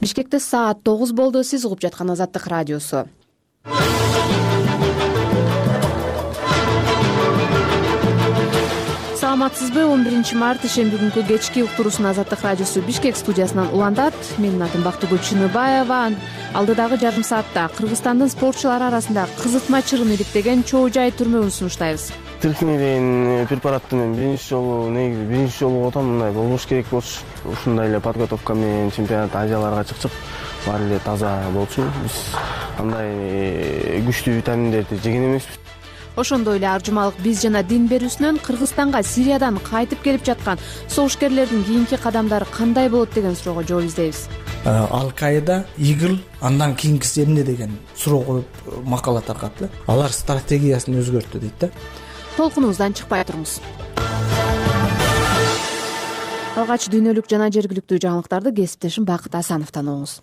Бишкекте саат 9 болду. Сиз угуп жаткан Азаттык радиосу. Саламатсызбы? 11-март ишемби күнкү кечки уктуруусун Азаттык радиосу Бишкек студиясынан улантат. Менин атым Бактыгүл Чыныбаева. Алдыдагы жарым саатта Кыргызстандын спортчулары арасында кызытма чырын иликтеген чоо жай түрмөгүн сунуштайбыз. Тиркине деген препаратты мен биринчи жолу отам, мындай болбош керек болчу. Ушундай эле подготовка менен чемпионат Азияларга чыкчык баары эле таза болчу. Биз андай күчтүү витаминдерди жеген эмеспиз. Ошондой эле аржумалык биз жана дин берүүсүнөн Кыргызстанга Сириядан кайтып келип жаткан согушкерлердин кийинки кадамдары кандай болот деген суроого жооп издейбиз. Ал-Каида, ИГИЛ андан кийинкиси эмне деген суроо коюп макала таркатты. Алар стратегиясын өзгөрттү дейт да. Толкунубуздан чыкпай туруңуз. Алгач дүйнөлүк жана жергиликтүү жаңылыктарды кесиптешим Бакыт Асановдон угуңуз.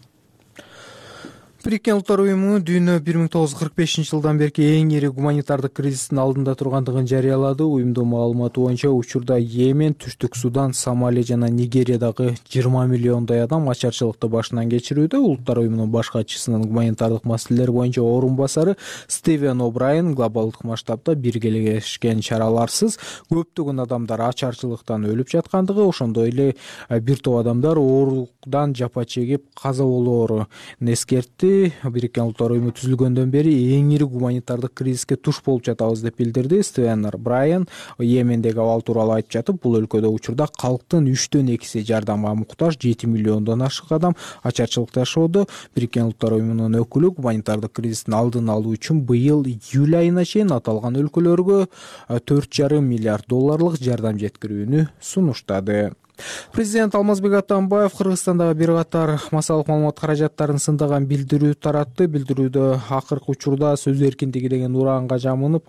Бириккен Улуттар уюму дүйнө 1945-жылдан берки эң ири гуманитардык кризистин алдында тургандыгын жарыялады. Уюмдун маалыматы боюнча учурда Йемен, Түштүк Судан, Сомали жана Нигериядагы 20 миллиондой адам ачарчылыкты башынан кечирүүдө. Улуттар уюмунун баш катчысынын гуманитардык маселелер боюнча орун басары Стивен О'Брайен глобалдык масштабда биргелешкен чараларсыз көптөгөн адамдар ачарчылыктан өлүп жаткандыгы, ошондой эле бир топ адамдар оорудан жапа чегип каза болоорун эскертти. Бириккен Улуттар уюму түзүлгөндөн бери эң ири гуманитардык кризиске туш болуп жатабыз деп билдирди. Стивен О'Брайен Йемендеги абал тууралуу айтып жатып, бул өлкөдө учурда калктын 3/2 жардамга муктаж, 7 миллиондон ашык адам ачарчылыкта жашоодо. Бириккен Улуттар уюмунун өкүлү гуманитардык кризистин алдын алуу үчүн быйыл июль айына чейин аталган өлкөлөргө $4,5 миллиард жардам жеткирүүнү сунуштады. Президент Алмазбек Атамбаев Кыргызстандагы бир катар массалык маалымат каражаттарын сындаган билдирүү таратты. Билдирүүдө акыркы учурда сөз эркиндиги деген ураанга жамынып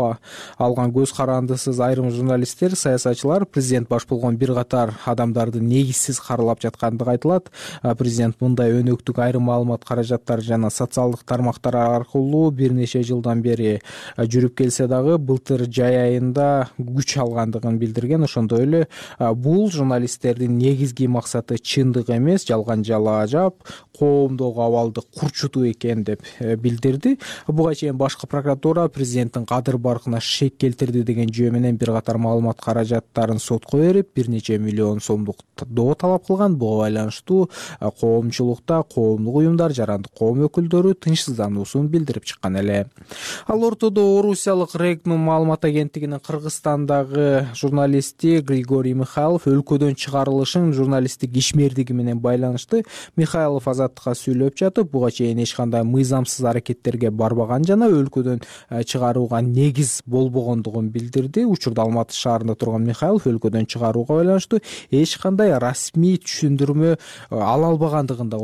алган көз карандысыз айрым журналисттер, саясатчылар президент баш болгон бир катар адамдарды негизсиз каралап жаткандыгы айтылат. Президент мындай өнөктүк айрым маалымат каражаттары жана социалдык тармактар аркылуу бир нече жылдан бери жүрүп келсе дагы былтыр жай айында күч алгандыгын билдирген. Ошондой эле бул журналисттер негизги максаты чындык эмес, жалган жалаажап, коомдогу абалды курчутуу экен деп билдирди. Буга чейин башкы прокуратура президенттин кадыр баркына шек келтирди деген жөө менен бир катар маалымат каражаттарын сотко берип, бир нече миллион сомдук доо талап кылган. Буга байланыштуу коомчулукта коомдук уюмдар, жарандык коом өкүлдөрү тынчсыздануусун билдирип чыккан эле. Ал ортодо орусиялык Регнум маалымат агенттигинин Кыргызстандагы журналисти Григорий Михайлов өлкөдөн чыгарылышын журналисттик ишмердиги менен байланыштуу. Михайлов Азаттыкка сүйлөп жатып, буга чейин эч кандай мыйзамсыз аракеттерге барбаган жана өлкөдөн чыгарууга негиз болбогондугун билдирди. Учурда Алматы шаарында турган Михайлов өлкөдөн чыгарууга байланыштуу эч кандай расмий түшүндүрмө ала албагандыгын да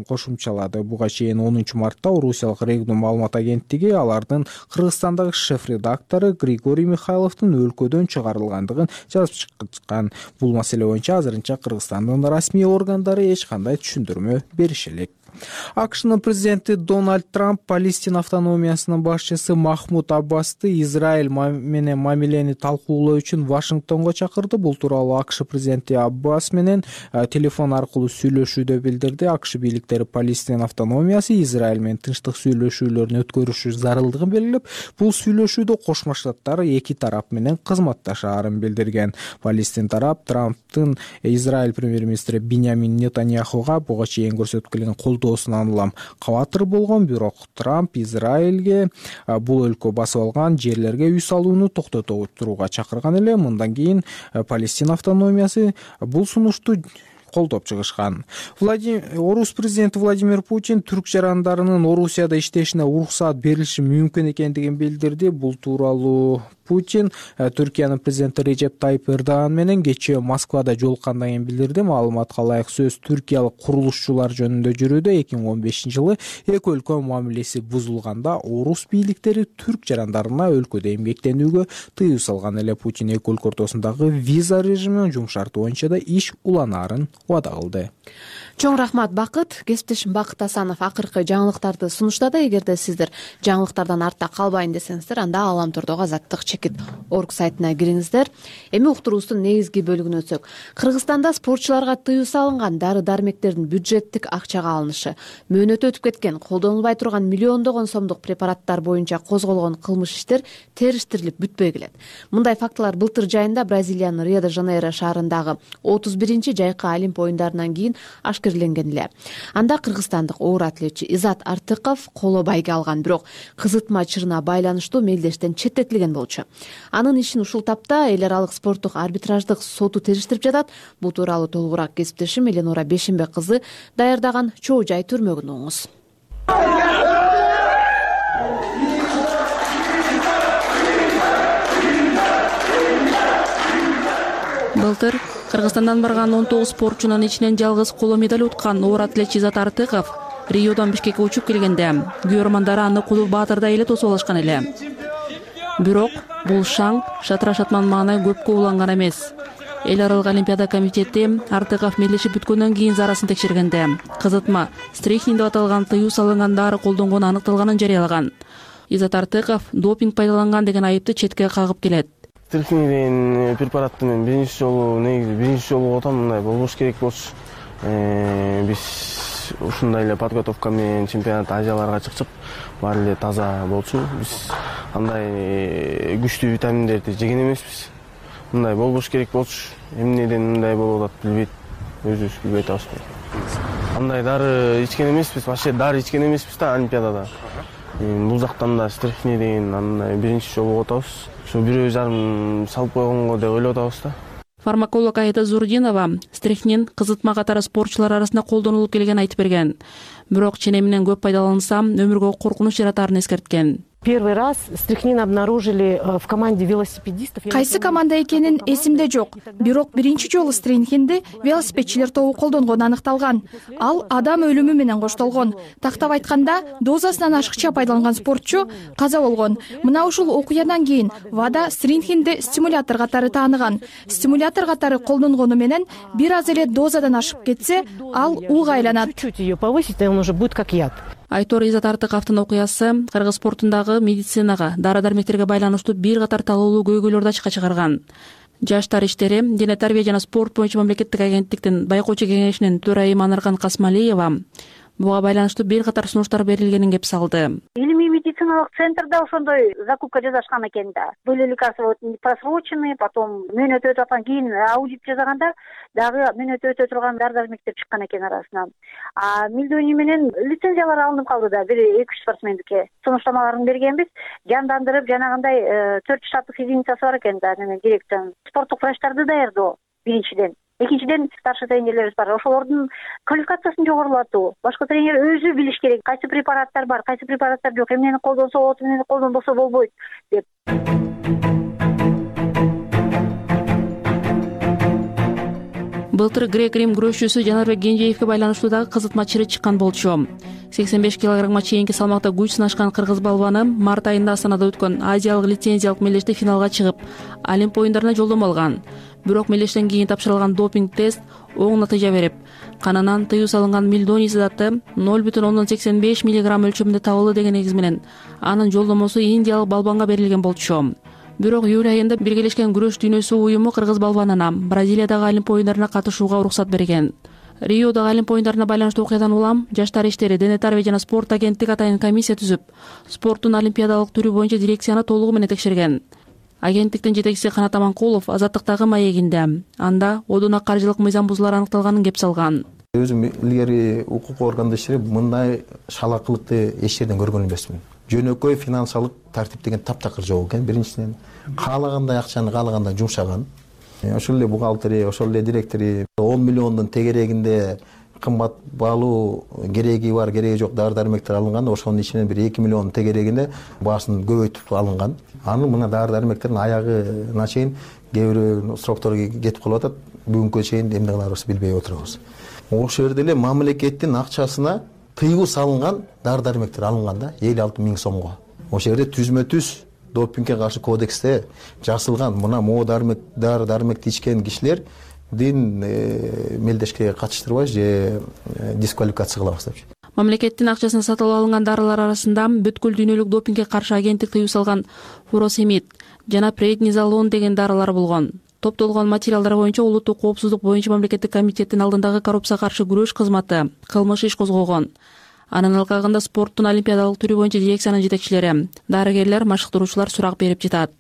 кошумчалады. Буга чейин 10-мартта орусиялык Регнум маалымат агенттиги алардын Кыргызстандагы шеф-редактору Григорий Михайловдун өлкөдөн чыгарылгандыгын жазып чыккан. Бул маселе боюнча азырынча Кыргызстандын расмий органдары эч кандай түшүндүрмө бериши элек. АКШнын президенти Дональд Трамп Палестина автономиясынын башчысы Махмуд Аббасты Израиль менен мамилени талкуулоо үчүн Вашингтонго чакырды. Бул тууралуу АКШ президенти Аббас менен телефон аркылуу сүйлөшүүдө билдирди. АКШ бийликтери Палестина автономиясы Израиль менен тынчтык сүйлөшүүлөрүн өткөрүшү зарылдыгын белгилеп, бул сүйлөшүүдө Кошмо Штаттар эки тарап менен кызматташаарын билдирген. Палестин тарап Трамптын Израиль премьер-министри Биньямин Нетаньяхуга буга чейин көрсөтүп келген колдоосунан улам кабатыр болгон, бирок Трамп Израилге бул өлкө басып алган жерлерге үй салууну токтото турууга чакырган эле. Мындан кийин Палестина автономиясы бул сунушту колдоп чыгышкан. Орус президенти Владимир Путин түрк жарандарынын Орусияда иштешине уруксаат берилиши мүмкүн экендигин билдирди. Бул тууралуу Путин Түркиянын президенти Режеп Тайып Эрдоган менен кечээ Москвада жолуккандан кийин билдирди. Маалыматка ылайык сөз түркиялык курулушчулар жөнүндө жүрүүдө. 2015-жылы эки өлкө мамилеси бузулганда орус бийликтери түрк жарандарына өлкөдө эмгектенүүгө тыюу салган эле. Путин эки өлкө ортосундагы виза режимин жумшартуу боюнча да иш уланаарын убада кылды. Чоң рахмат Бакыт. Кесиптешим Бакыт Асанов акыркы жаңылыктарды сунуштады. Эгерде сиздер жаңылыктардан артта калбайын десеңиздер, анда Аламтордогу Азаттык chekit.org сайтына кириңиздер. Эми уктуруубуздун негизги бөлүгүнө өтсөк, Кыргызстанда спортчуларга тыюу салынган дары-дармектердин бюджеттик акчага алынышы, мөөнөтү өтүп кеткен, колдонулбай турган миллиондогон сомдук препараттар боюнча козголгон кылмыш иштер териштирилип бүтпөй келет. Мындай фактылар былтыр жайында Бразилиянын Рио-де-Жанейро шаарындагы 31-чи жайкы Олимп оюндарынан кийин ашкереленген эле. Анда кыргызстандык оор атлетчи Изат Артыков коло байге алган, бирок кызытма чырына байланыштуу мелдештен четтетилген болчу. Анын ишин ушул тапта эл аралык спорттук арбитраждык соту териштирип жатат. Бул тууралуу толугураак кесиптешим Эленора Бешенбек кызы даярдаган чоо жай түрмөгүн угуңуз. Былтыр Кыргызстандан барган 19 спортчунун ичинен жалгыз коло медаль уткан оор атлетчи Изат Артыков Риодон Бишкекке учуп келгенде күйөрмандары аны Кулук Баатырдай эле тосуп алышкан эле. Бирок бул шаң шатыра шатман маанай көпкө уланган эмес. Эл аралык Олимпиада комитети Артыков мелдешип бүткөндөн кийин зарасын текшергенде кызытма стрихнин деп аталган тыюу салынган дары колдонгону аныкталганын жарыялаган. Изат Артыков допинг пайдаланган деген айыпты четке кагып келет. Стрихнин деген препаратты мен биринчи жолу отам, мындай болбош керек болчу. Биз ушундай эле подготовка менен чемпионат Азияларга чыкчып, баары эле таза болчу. Биз андай күчтүү витаминдерди жеген эмеспиз. Мындай болбош керек болчу. Эмнеден мындай болуп атат билбейт. Өзүбүз билбей атабыз. Андай дары ичкен эмеспиз, вообще дары ичкен эмеспиз да Олимпиадада. Бул жактан да стрихни деген андай биринчи жолу отабыз. Ошо бирөө жарым салып койгонго деп ойлоп атабыз да. Фармаколог Айда Зурдинова стрихнин кызытма катары спортчулар арасында колдонулуп келгенин айтып берген. Бирок ченеминен көп пайдаланса, өмүргө коркунуч жаратарын эскерткен. Первый раз стрихнин обнаружили в команде велосипедистов. Кайсы команда экенин эсимде жок. Бирок биринчи жолу стрихнинди велосипедчилер тобу колдонгону аныкталган. Ал адам өлүмү менен коштолгон. Тактап айтканда, дозасынан ашыкча пайдаланган спортчу каза болгон. Мына ушул окуядан кийин ВАДА стрихнинди стимулятор катары тааныган. Стимулятор катары колдонгону менен бир аз эле дозадан ашып кетсе, ал ууга айланат. Чуть-чуть ее повысить, и он уже будет как яд. Айтор Изат Артыковдун окуясы кыргыз спортундагы медицинага, дары-дармектерге байланыштуу бир катар талоолуу көйгөйлөрдү ачыкка чыгарган. Жаштар иштери, дене тарбия жана спорт боюнча мамлекеттик агенттиктин байкоочу кеңешинин төрайымы Анарган Касмалиева буга байланыштуу бир катар сунуштар берилгенин кеп салды. Илимий медициналык центрда ошондой закупка жасашкан экен да. Были лекарства просроченные, потом мөөнөт өтүп аткан кийин аудит жасаганда дагы мөөнөт өтө турган дары-дармектер чыккан экен арасынан. Милдөөний менен лицензиялар алынып калды да, бир 2 спортсмендикке. Сунуштамаларын бергенбиз, жандандырып жанагындай 4 штаттык единицасы бар экен да, директордун. Спорттук врачтарды даярдоо биринчиден. Экинчиден старший тренерлерибиз бар. Ошолордун квалификациясын жогорулатуу. Башка тренер өзү билиш керек, кайсы препараттар бар, кайсы препараттар жок, эмнени колдонсо болот, эмнени колдонбосо болбойт деп. Былтыр грек-рим күрөшчүсү Жанарбек Кенжеевге байланыштуу дагы кызытма чыры чыккан болчу. 85 килограммга чейинки салмакта күч сынашкан кыргыз балбаны март айында Астанада өткөн Азиялык лицензиялык мелдеште финалга чыгып, Олимп оюндарына жолдомо алган. Бирок мелдештен кийин тапшырылган допинг тест оң натыйжа берип, канынан тыюу салынган мелдоний заты 0,85 мг өлчөмүндө табылды деген негиз менен анын жолдомосу индиялык балбанга берилген болчу. Бирок июль айында Биргелешкен күрөш дүйнөсү уюму кыргыз балбанына Бразилиядагы Олимп оюндарына катышууга уруксат берген. Риодагы Олимп оюндарына байланыштуу окуядан улам жаштар иштери, дене тарбия жана спорт агенттиги атайын комиссия түзүп, спорттун олимпиадалык түрү боюнча дирекцияны толугу менен текшерген. Агенттиктин жетекчиси Канат Аманкулов Азаттыктагы маегинде анда одуна каржылык мыйзам бузуулар аныкталганын кеп салган. Өзүм илгери укук органда иштеп, мындай шалакылыкты эч жерден көргөн эмесмин. Жөнөкөй финансылык тартип деген таптакыр жок экен. Биринчиден каалагандай акчаны каалагандай жумшаган. Ошол эле бухгалтери, ошол эле директори 10 миллиондун тегерегинде кымбат баалуу кереги бар, кереги жок дары-дармектер алынган. Ошонун ичинен бир 2 миллион тегерегинде баасын көбөйтүп алынган. Анын мына дары-дармектердин аягына чейин кээ бирөө сроктору кетип калып атат. Бүгүнкү чейин эмне кыларыбызды билбей отурабыз. Ошол жерде эле мамлекеттин акчасына тыюу салынган дары-дармектер алынган да 56 миң сомго. Ошол жерде түзмө-түз допингге каршы кодексте жазылган мына дары-дармекти ичкен кишилер дин мелдешке катыштырбайбыз же дисквалификация кылабыз депчи. Мамлекеттин акчасына сатып алынган дарылар арасында бүткүл дүйнөлүк допингге каршы агенттик тыюу салган фуросемид жана преднизолон деген дарылар болгон. Топтолгон материалдар боюнча улуттук коопсуздук боюнча мамлекеттик комитеттин алдындагы коррупцияга каршы күрөш кызматы кылмыш иш козгогон. Анын алкагында спорттун олимпиадалык түрү боюнча дирекциянын жетекчилери, дарыгерлер, машыктыруучулар сурак берип жатат.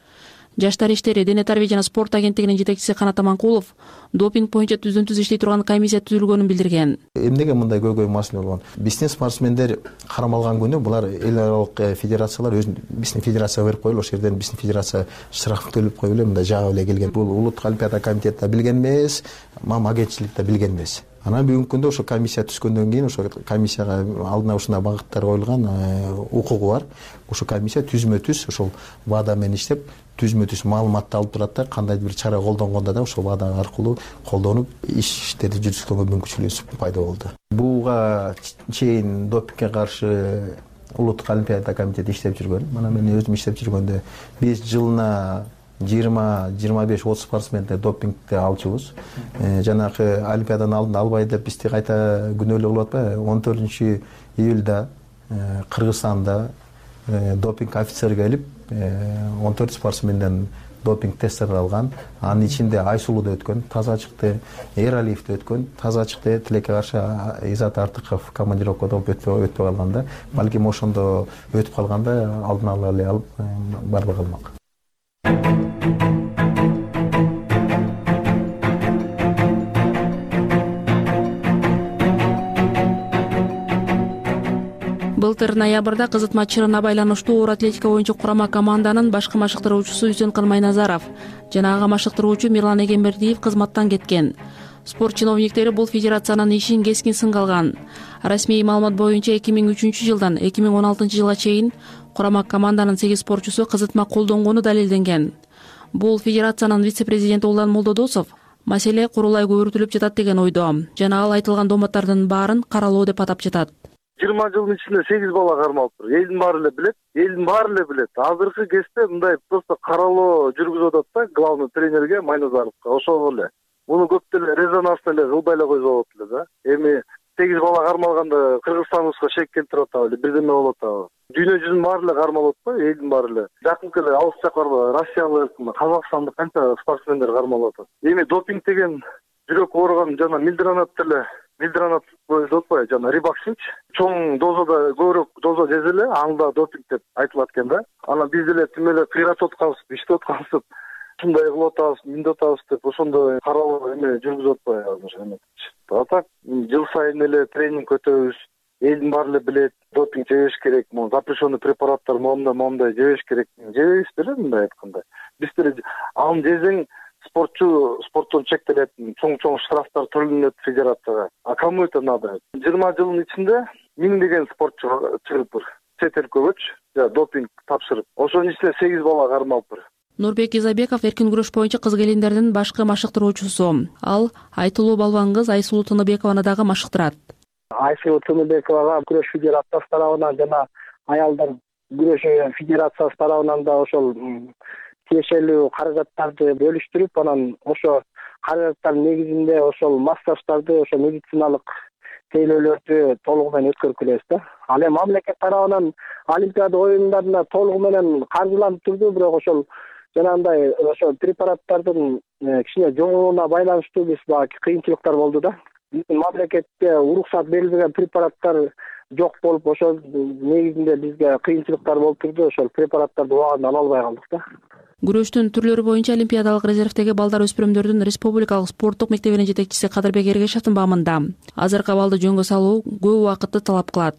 Жаштар иштери, дене тарбия жана спорт агенттигинин жетекчиси Канат Аманкулов допинг боюнча түздөн-түз иштей турган комиссия түзүлгөнүн билдирген. Эмнеге мындай көйгөй маселе болгон? Биздин спортсмендер кармалган күнү булар эл аралык федерациялар биздин федерацияга берип коюлуп, ошол жерден биздин федерация штраф төлөп коюп эле мындай жагып эле келген. Бул улуттук олимпиада комитети да билген эмес, мам агентчилик да билген эмес. Анан бүгүнкү күндө ошо комиссия түзгөндөн кийин ошо комиссияга алдына ушундай багыттар коюлган, укугу бар. Ошо комиссия түзмө-түз ошол ВАДА менен иштеп, түзмө-түз маалыматты алып турат да, кандайдыр бир чара колдонгондо да ошол ВАДА аркылуу колдонуп иштерди жүргүзгөнгө мүмкүнчүлүгү пайда болду. Буга чейин допингге каршы улуттук олимпиада комитети иштеп жүргөн. Мына мен өзүм иштеп жүргөндө биз жылына 20-25-30 спортсменди допингде алчубуз. Жанагы олимпиаданын алдында албай деп бизди кайта күнөөлүү кылып атпайбы? 14 июлда Кыргызстанда допинг офицер келип 14 спортсменден допинг тесттер алган. Анын ичинде Айсулуда өткөн, таза чыкты, Эралиевде өткөн, чыкты, Тилекке каршы Изат Артыков командировкада өтпөй калганда, балким ошондо өтүп калганда алдын ала эле алып барбай калмак. Былтыр ноябрда кызытма чырына байланыштуу оор атлетика боюнча курама команданын башкы машыктыруучусу Үсөнкан Майназаров жана ага машыктыруучу Мирлан Эгембердиев кызматтан кеткен. Спорт чиновниктери бул федерациянын ишин кескин сынга алган. Расмий маалымат боюнча 2003-жылдан 2016-жылга чейин курама команданын 8 спортчусу кызытма колдонгону далилденген. Бул федерациянын вице-президенти Улан Молдодосов маселе курулай көбүртүлүп жатат деген ойдо жана ал айтылган доматтардын баарын каралоо деп атап жатат. 20 жылдын ичинде 8 бала кармалыптыр. Элдин баары эле билет. Азыркы кезде мындай просто каралоо жүргүзүп атат да главный тренерге Майназаровго. Ошол эле. Муну көп деле резонансно эле кылбай эле койсо болот эле да. Эми 8 бала кармалганда Кыргызстаныбызга шек келтирип атабы, бирдеме болуп атабы. Дүйнө жүзүнүн баары эле кармалып атпайбы, элдин баары эле. Жакынкы эле алыс жак барбы, Россиялык, Казакстандык канча спортсмендер кармалып атат. Эми допинг деген жүрөк ооруган жана милдранат деп атпайбы, жана рибаксинч. Чоң дозада көбүрөөк доза жезе эле, анда допинг деп айтылат экен да. Анан биз деле тим эле кыйратып аткансып, иштеп аткансып, ушундай кылып атабыз, мындай атабыз деп ошондой каралуу эме жүргүзүп атпайбы. Так жыл сайын эле тренинг өтөбүз. Элдин баары эле билет, допинг жебеш керек, запрещенный препараттар моундай жебеш керек. Жебейбиз деле мындай айтканда. Биз деле аны жесең спорттон чектелет, чоң штрафтар төлөнөт федерацияга. А кому это надо? 20 жылдын ичинде 1000 деген спортчу чыгыптыр. Чет өлкөгөчү допинг тапшырып. Ошонун ичинде 8 бала кармалыптыр. Нурбек Изабеков эркин күрөш боюнча кыз келиндердин башкы машыктыруучусу. Ал айтылуу балбан кыз Айсулуу Тыныбекованы дагы машыктырат. Айсулуу Тыныбековага күрөш федерациясы тарабынан жана аялдар күрөшү федерациясы тарабынан да ошол тиешелүү каражаттарды бөлүштүрүп, анан ошо каражаттардын негизинде ошол массаждарды, ошо медициналык тейлөөлөрдү толугу менен өткөрүп келебиз да. Ал эми мамлекет тарабынан Олимпиада оюндарына толугу менен каржыланып турду, бирок ошол жанагындай ошо препараттардын кичине жоңуруна байланыштуу биз багы кыйынчылыктар болду да. Биздин мамлекетте уруксат берилбеген препараттар жок болуп, ошол негизинде бизге кыйынчылыктар болуп турду. Ошол препараттарды убагында ала албай калдык да. Күрөштүн түрлөрү боюнча олимпиадалык резервдеги балдар өспүрүмдөрдүн республикалык спорттук мектебинин жетекчиси Кадырбек Эргешевдин баамында азыркы абалды жөнгө салуу көп убакытты талап кылат.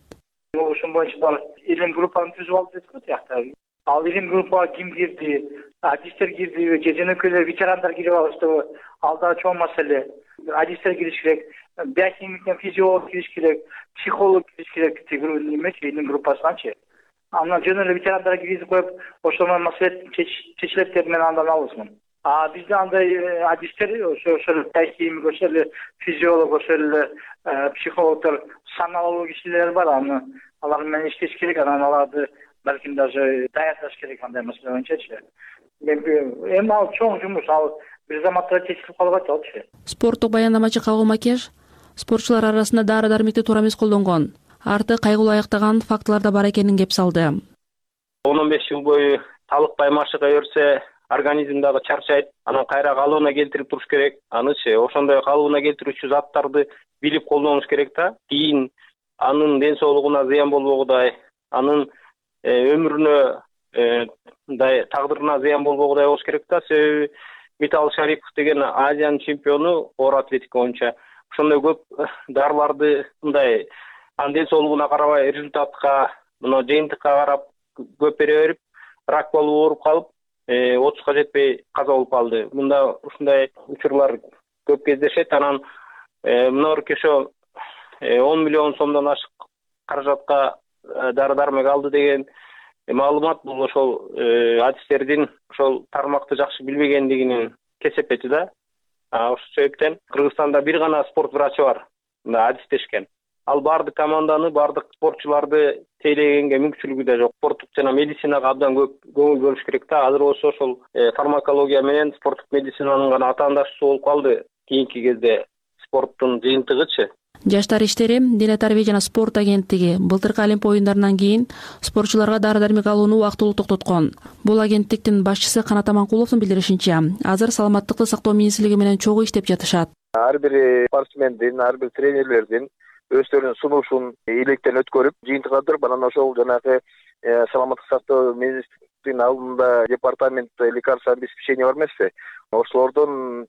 Ошон боюнча илим группаны түзүп алды деп атат. Ал илим группага ким кирди, адистер кирдиби, же жөнөкөйлөр, ветерандар кирип алыштыбы? Ал да чоң маселе. Адистер кириш керек, биохимиктен физиолог кириш керек, психолог кириш керек немечи илим группасыначы. Андан жөн эле ветерандар киргизип коюп, ошондон маселе чечилет деп мен андан алысмын. Бизде андай адистер, ошо биохимик, ошо эле физиолог, ошо эле психологдор саналуу кишилер бар. Алар менен иштеш керек, анан аларды балким даже даярдаш керек андай маселе боюнчачы. Эми ал чоң жумуш, ал бир заматта чечилип калып атчу. Спорттук баяндамачы Кабыл Макеш спортчулар арасында дары-дармекти туура эмес колдонгон, арты кайгылуу аяктаган фактылар да бар экенин кеп салды. 10-15 жыл бою талыкпай машыга берсе, организм дагы чарчайт, анан кайра калыбына келтирип туруш керек. Анычы ошондой калыбына келтирүүчү заттарды билип колдонуш керек да. Кийин анын ден соолугуна зыян болбогудай, анын өмүрүнө тагдырына зыян болбогудай болуш керек да. Себеби Митал Шарипов деген Азиянын чемпиону оор атлетика боюнча ошондой көп дарыларды мындай анын ден соолугуна карабай результатка, мына жыйынтыкка карап көп бере берип, рак болуп ооруп калып, 30га жетпей каза болуп калды. Мында ушундай учурлар көп кездешет. Анан мына ошо 10 миллион сомдон ашык каражатка дары-дармек алды деген маалымат бул ошол адистердин ошол тармакты жакшы билбегендигинин кесепети да. Ошол себептен Кыргызстанда бир гана спорт врачы бар, мына адистешкен. Ал бардык команданы, бардык спортчуларды тейлегенге мүмкүнчүлүгү да жок. Спорттук жана медицинага абдан көп көңүл бөлүш керек да. Азыр болсо ошол фармакология менен спорттук медицинанын гана атаандашуусу болуп калды. Кийинки кезде спорттун жыйынтыгычы. Жаштар иштери, дене тарбия жана спорт агенттиги былтыркы Олимп оюндарынан кийин спортчуларга дары-дармек алууну убактылуу токтоткон. Бул агенттиктин башчысы Канат Аманкуловдун билдиришинче, азыр саламаттыкты сактоо министрлиги менен чогуу иштеп жатышат. Ар бир спортсмендин, ар бир тренерлердин өздөрүнүн сунушун илектен өткөрүп, жыйынтыгандырып, анан ошол жанагы саламаттык сактоо министрлигинин алдында департамент лекарств обеспечения бар эмеспи? Ошолордон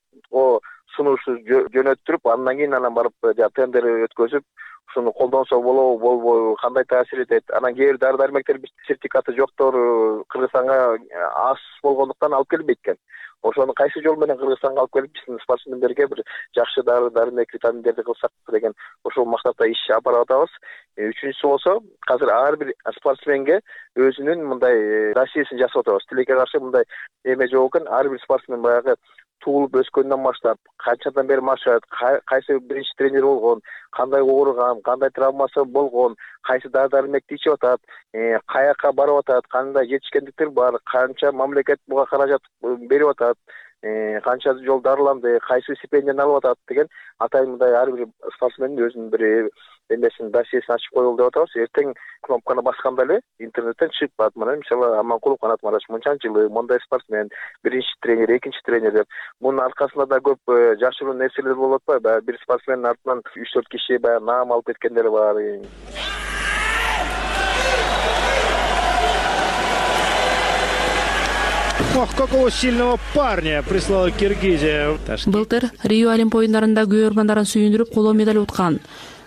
сунушу жөнөттүрүп, андан кийин барып тендер өткөзүп, ушуну колдонсо болобу, болбойбу, кандай таасир этет. Анан кээ бир дары-дармектер сертификаты жоктор Кыргызстанга аз болгондуктан алып келбейт экен. Ошону кайсы жол менен Кыргызстанга алып келип, биздин спортсмендерге бир жакшы дары-дармек, витаминдерди кылсак деген ошол максатта иш алып атабыз. Үчүнчүсү болсо, азыр ар бир спортсменге өзүнүн мындай досьесин жасап атабыз. Тилекке каршы мындай эме жок экен. Ар бир спортсмен баягы туулуп өскөндөн баштап, канчадан бери машыгат, кайсы биринчи тренер болгон, кандай ооруган, кандай травмасы болгон, кайсы дары-дармекти ичип атат, каяка барып атат, кандай жетишкендиктер бар, канча мамлекет буга каражат берип атат, канча жол дарыланды, кайсы стипендияны алып атат деген атайын мындай ар бир спортсмендин өзүнүн бир эмесин, досьесин ачып коелу деп атабыз. Эртең кнопканы басканда эле интернеттен чыгып калат. Мына мисалы Аманкулов Канат Мараш мынчанчы жылы мондай спортсмен, биринчи тренер, экинчи тренер деп. Мунун аркасында да көп жашыруу нерселер болуп атпайбы? Баягы бир спортсмендин артынан 3-4 киши баягы наам алып кеткендер бар. Ох, какого сильного парня прислала Киргизия. Былтыр Рио Олимп оюндарында көрөрмандарын сүйүндүрүп коло медаль уткан.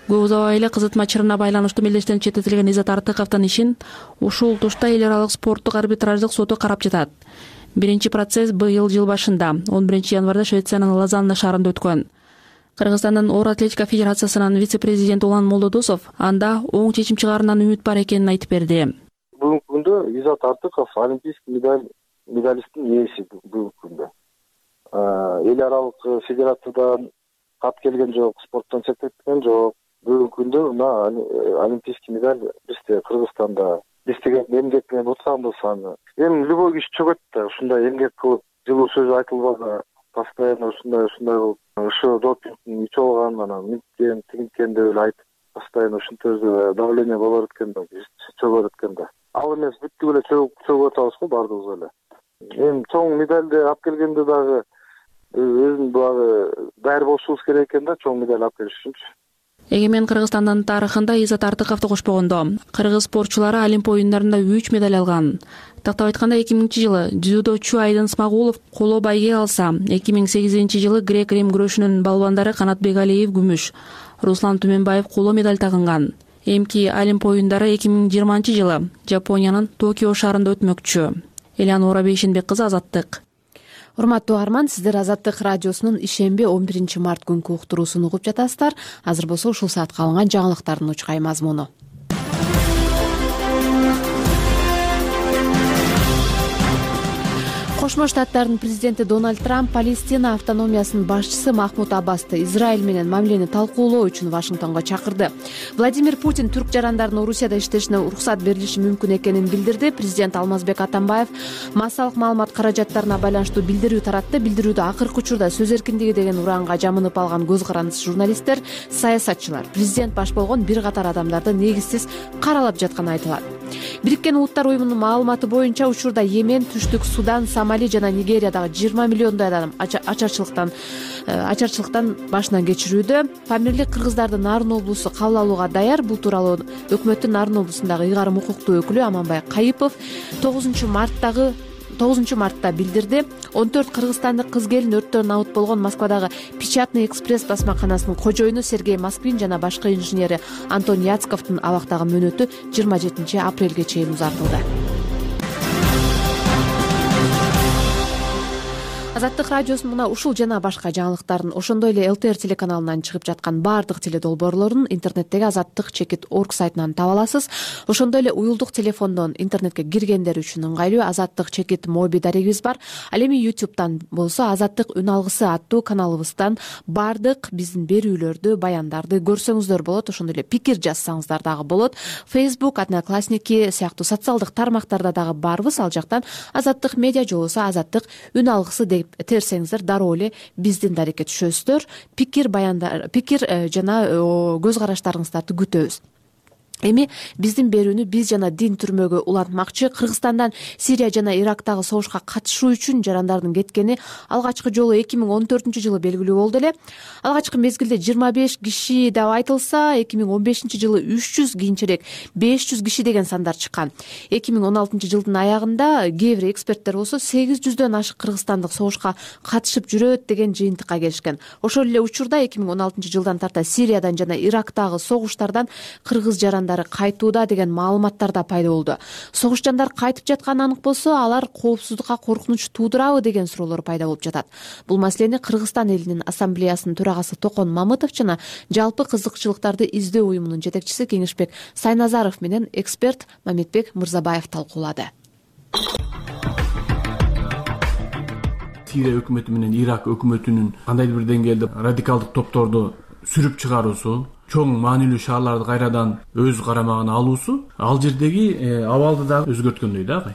Көп узабай эле кызытма чырына байланыштуу мелдештен четтетилген Иззат Артыковдун ишин ушул тушта эл аралык спорттук арбитраждык соту карап жатат. Биринчи процесс быйыл жыл башында 11 январда Швециянын Лозанна шаарында өткөн. Кыргызстандын оор атлетика федерациясынын вице-президенти Улан Молдодосов анда оң чечим чыгаарынан үмүт бар экенин айтып берди. Бүгүнкү күндө Иззат Артыков олимпийский медалисттин ээси бүгүнкү күндө. Эл аралык федерациядан кат келген жок, спорттон четтетилген жок. Бүгүнкү күндө мына олимпийский медаль бизде Кыргызстанда. Биз деген эмгек менен утканбыз аны. Эми любой киши чөгөт да, ушундай эмгек кылып, жылуу сөз айтылбаса, постоянно ушундай кылып, ошо допингдин ичип алган, анан мынткен, тигинткен деп эле айтып, постоянно ушинтип давление болор экен да, чөгөр экен да. Ал эмес бүттүк эле чөгүп атабыз го баардыгыбыз эле. Эми чоң медальди алып келгенде дагы өзүн дагы даяр болушубуз керек экен да, чоң медаль алып келиш үчүнчү. Эгемен Кыргызстандын тарыхында Иззат Артыковду кошпогондо кыргыз спортчулары Олимп оюндарында 3 медаль алган. Тактап айтканда 2000-жылы дзюдочу Айдын Смагулов коло байге алса, 2008-жылы грек-рим күрөшүнүн балбандары Канат Бегалиев күмүш, Руслан Түменбаев коло медаль тагынган. Эмки Олимп оюндары 2020-жылы Жапониянын Токио шаарында өтмөкчү. Элеонора Бейшенбек кызы, Азаттык. Урматтуу угарман, сиздер Азаттык радиосунун ишемби 11 март күнкү уктуруусун угуп жатасыздар. Азыр болсо ушул саатка алынган жаңылыктардын учкай мазмуну. Кошмо Штаттардын президенти Дональд Трамп Палестина автономиясынын башчысы Махмуд Аббасты Израиль менен мамилени талкуулоо үчүн Вашингтонго чакырды. Владимир Путин түрк жарандарын Орусияда иштешине уруксат берилиши мүмкүн экенин билдирди. Президент Алмазбек Атамбаев массалык маалымат каражаттарына байланыштуу билдирүү таратты. Билдирүүдө акыркы учурда сөз эркиндиги деген ураанга жамынып алган көз карандысыз журналисттер, саясатчылар, президент баш болгон бир катар адамдарды негизсиз каралап жатканы айтылат. Бириккен Улуттар уюмунун маалыматы боюнча учурда Йемен, Түштүк Судан, Сомали жана Нигериядагы 20 миллиондой адам ачарчылыктан башынан кечирүүдө. Памирлик кыргыздардын Нарын облусу кабыл алууга даяр. Бул тууралуу өкмөттүн Нарын облусундагы ыйгарым укуктуу өкүлү Аманбай Кайыпов 9 мартта билдирди. 14 кыргызстандык кыз келин өрттөн набыт болгон Москвадагы Печатный экспресс басмаканасынын кожоюну Сергей Москвин жана башкы инженери Антон Яцковдун абактагы мөөнөтү 27 апрелге чейин узартылды. Азаттык радиосунун мына ушул жана башка жаңылыктардын, ошондой эле ЛТР телеканалынан чыгып жаткан баардык теледолбоорлорун интернеттеги azattik.org сайтынан таба аласыз. Ошондой эле уюлдук телефондон интернетке киргендер үчүн ыңгайлуу Азаттык моби дарегибиз бар. Ал эми YouTube'дан болсо Азаттык үн алгысы аттуу каналыбыздан баардык биздин берүүлөрдү, баяндарды көрсөңүздөр болот. Ошондой эле пикир жазсаңыздар дагы болот. Facebook, Одноклассники сыяктуу социалдык тармактарда дагы барбыз. Ал жактан Азаттык медиа же болбосо Азаттык үн алгысы деп терсеңиздер дароо эле биздин дарекке түшөсүздөр. Пикир жана көз караштарыңыздарды күтөбүз. Эми биздин берүүнү биз жана дин түрмөгө улантмакчы. Кыргызстандан Сирия жана Ирактагы согушка катышуу үчүн жарандардын кеткени алгачкы жолу 2014-жылы белгилүү болду эле. Алгачкы мезгилде 25 киши деп айтылса, 2015-жылы 300, кийинчерээк 500 киши деген сандар чыккан. 2016-жылдын аягында кээ бир эксперттер болсо 800дөн ашык кыргызстандык согушка катышып жүрөт деген жыйынтыкка келишкен. Ошол эле учурда 2016-жылдан тарта Сириядан жана Ирактагы согуштардан кыргыз жарандары кайтууда деген маалыматтар да пайда болду. Согуш жандар кайтып жатканы анык болсо, алар коопсуздукка коркунуч туудурабы деген суроолор пайда болуп жатат. Бул маселени Кыргызстан элинин ассамблеясынын төрагасы Токон Мамытов жана жалпы кызыкчылыктарды издөө уюмунун жетекчиси Кеңешбек Сайназаров менен эксперт Мамитбек Мырзабаев талкуулады. Сирия өкмөтү менен Ирак өкмөтүнүн кандайдыр бир деңгээлде радикалдык топторду сүрүп чыгаруусу, чоң маанилүү шаарларды кайрадан өз карамагына алуусу ал жердеги абалды да өзгөрткөндөй да агай.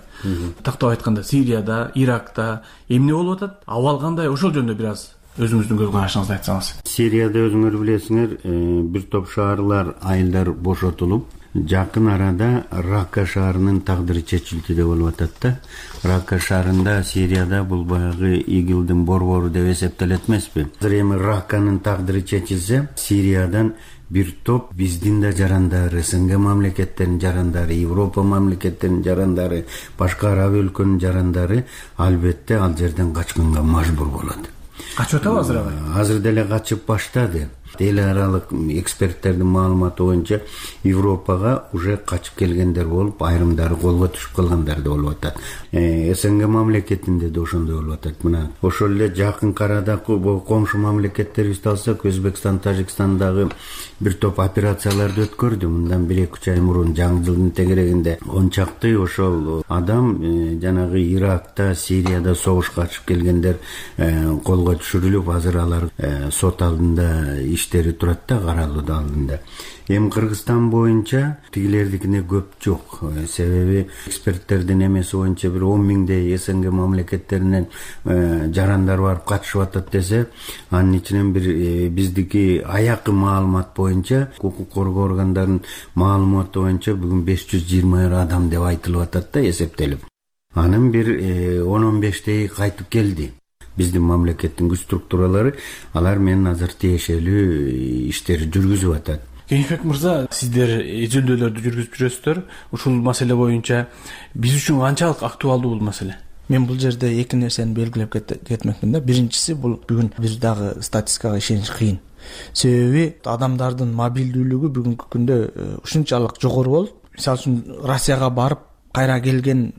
Тактап айтканда Сирияда, Иракта эмне болуп атат? Абал кандай? Ошол жөнүндө бир аз өзүңүздүн көз карашыңызды айтсаңыз. Сирияда өзүңөр билесиңер, бир топ шаарлар, айылдар бошотулуп, жакын арада Ракка шаарынын тагдыры чечилди деп болуп атат да. Ракка шаарында Сирияда бул баягы ИГИЛдин борбору деп эсептелет эмеспи? Азыр эми Ракканын тагдыры чечилсе, Сириядан бир топ биздин да жарандары, СНГ мамлекеттеринин жарандары, Европа мамлекеттеринин жарандары, башка араб өлкөнүн жарандары албетте ал жерден качканга мажбур болот. Качып атабы азыр агай? Азыр деле качып баштады. Эл аралык эксперттердин маалыматы боюнча Европага уже качып келгендер болуп, айрымдары колго түшүп калгандар да болуп атат. СНГ мамлекетинде да ошондой болуп атат. Мына ошол эле жакын арада комшу мамлекеттерибизди алсак, Өзбекстан, Тажикстандагы бир топ операцияларды өткөрдү. Мындан 1-2 ай мурун жаңы жылдын тегерегинде 10 чакты ошол адам жанагы Иракта, Сирияда согушка катышып келгендер колго түшүрүлүп, азыр алар сот алдында иштери турат да, каралуу алдында. Эми Кыргызстан боюнча тигилердикине көп жок. Себеби эксперттердин эмеси боюнча бир 10 миңдей СНГ мамлекеттеринен жарандар барып катышып атат десе, анын ичинен бир биздики аякы маалымат боюнча, укук коргоо органдарынын маалыматы боюнча бүгүн 520 адам деп айтылып атат да, эсептелип. Анын бир 10-15 кайтып келди. Биздин мамлекеттин күч структуралары алар менен азыр тиешелүү иштер жүргүзүп атат. Кеңешбек мырза, сиздер изилдөөлөрдү жүргүзүп жүрөсүздөр. Ушул маселе боюнча биз үчүн канчалык актуалдуу бул маселе? Мен бул жерде эки нерсени белгилеп кетмекмин да. Биринчиси, бул бүгүн бир дагы статистикага ишениш кыйын. Себеби адамдардын мобилдүүлүгү бүгүнкү күндө ушунчалык жогору болуп, мисалы үчүн Россияга барып кайра келген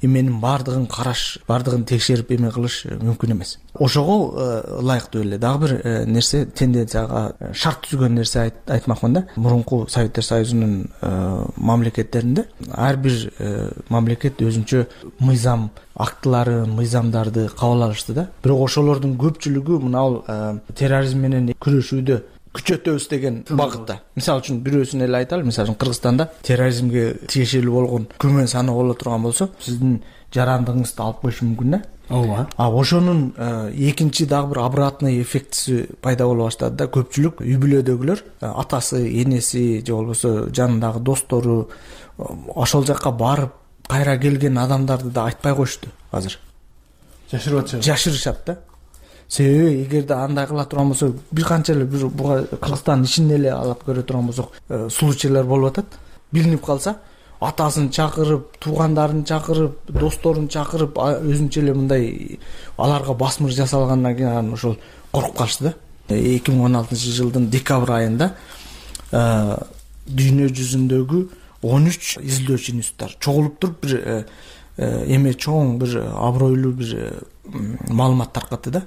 эменин баардыгын караш, баардыгын текшерип эме кылыш мүмкүн эмес. Ошого ылайыктуу эле дагы бир нерсе, тенденцияга шарт түзгөн нерсе айтмакмын да. Мурунку Советтер Союзунун мамлекеттеринде ар бир мамлекет өзүнчө мыйзам актылары, мыйзамдарды кабыл алышты да. Бирок ошолордун көпчүлүгү мына терроризм менен күрөшүүдө күчөтөбүз деген багытта. Мисалы үчүн бирөөсүн эле айталы. Мисалы үчүн Кыргызстанда терроризмге тиешелүү болгон күмөн саны боло турган болсо, сиздин жарандыгыңызды алып коюшу мүмкүн да. Ооба. Ошонун экинчи дагы бир обратный эффектиси пайда боло баштады да. Көпчүлүк үй бүлөдөгүлөр, атасы, энеси же болбосо жанындагы достору ошол жакка барып кайра келген адамдарды да айтпай коюшту азыр. Жашырышат да. Себеби эгерде андай кыла турган болсо, бир канча эле буга Кыргызстандын ичинде эле алып көрө турган болсок, случайлар болуп атат. Билинип калса, атасын чакырып, туугандарын чакырып, досторун чакырып, өзүнчө эле мындай аларга басмыр жасалгандан кийин ошол коркуп калышты да. 2016-жылдын декабрь айында дүйнө жүзүндөгү 13 изилдөөчү институттар чогулуп туруп бир эме чоң бир абройлуу бир маалымат таркатты да.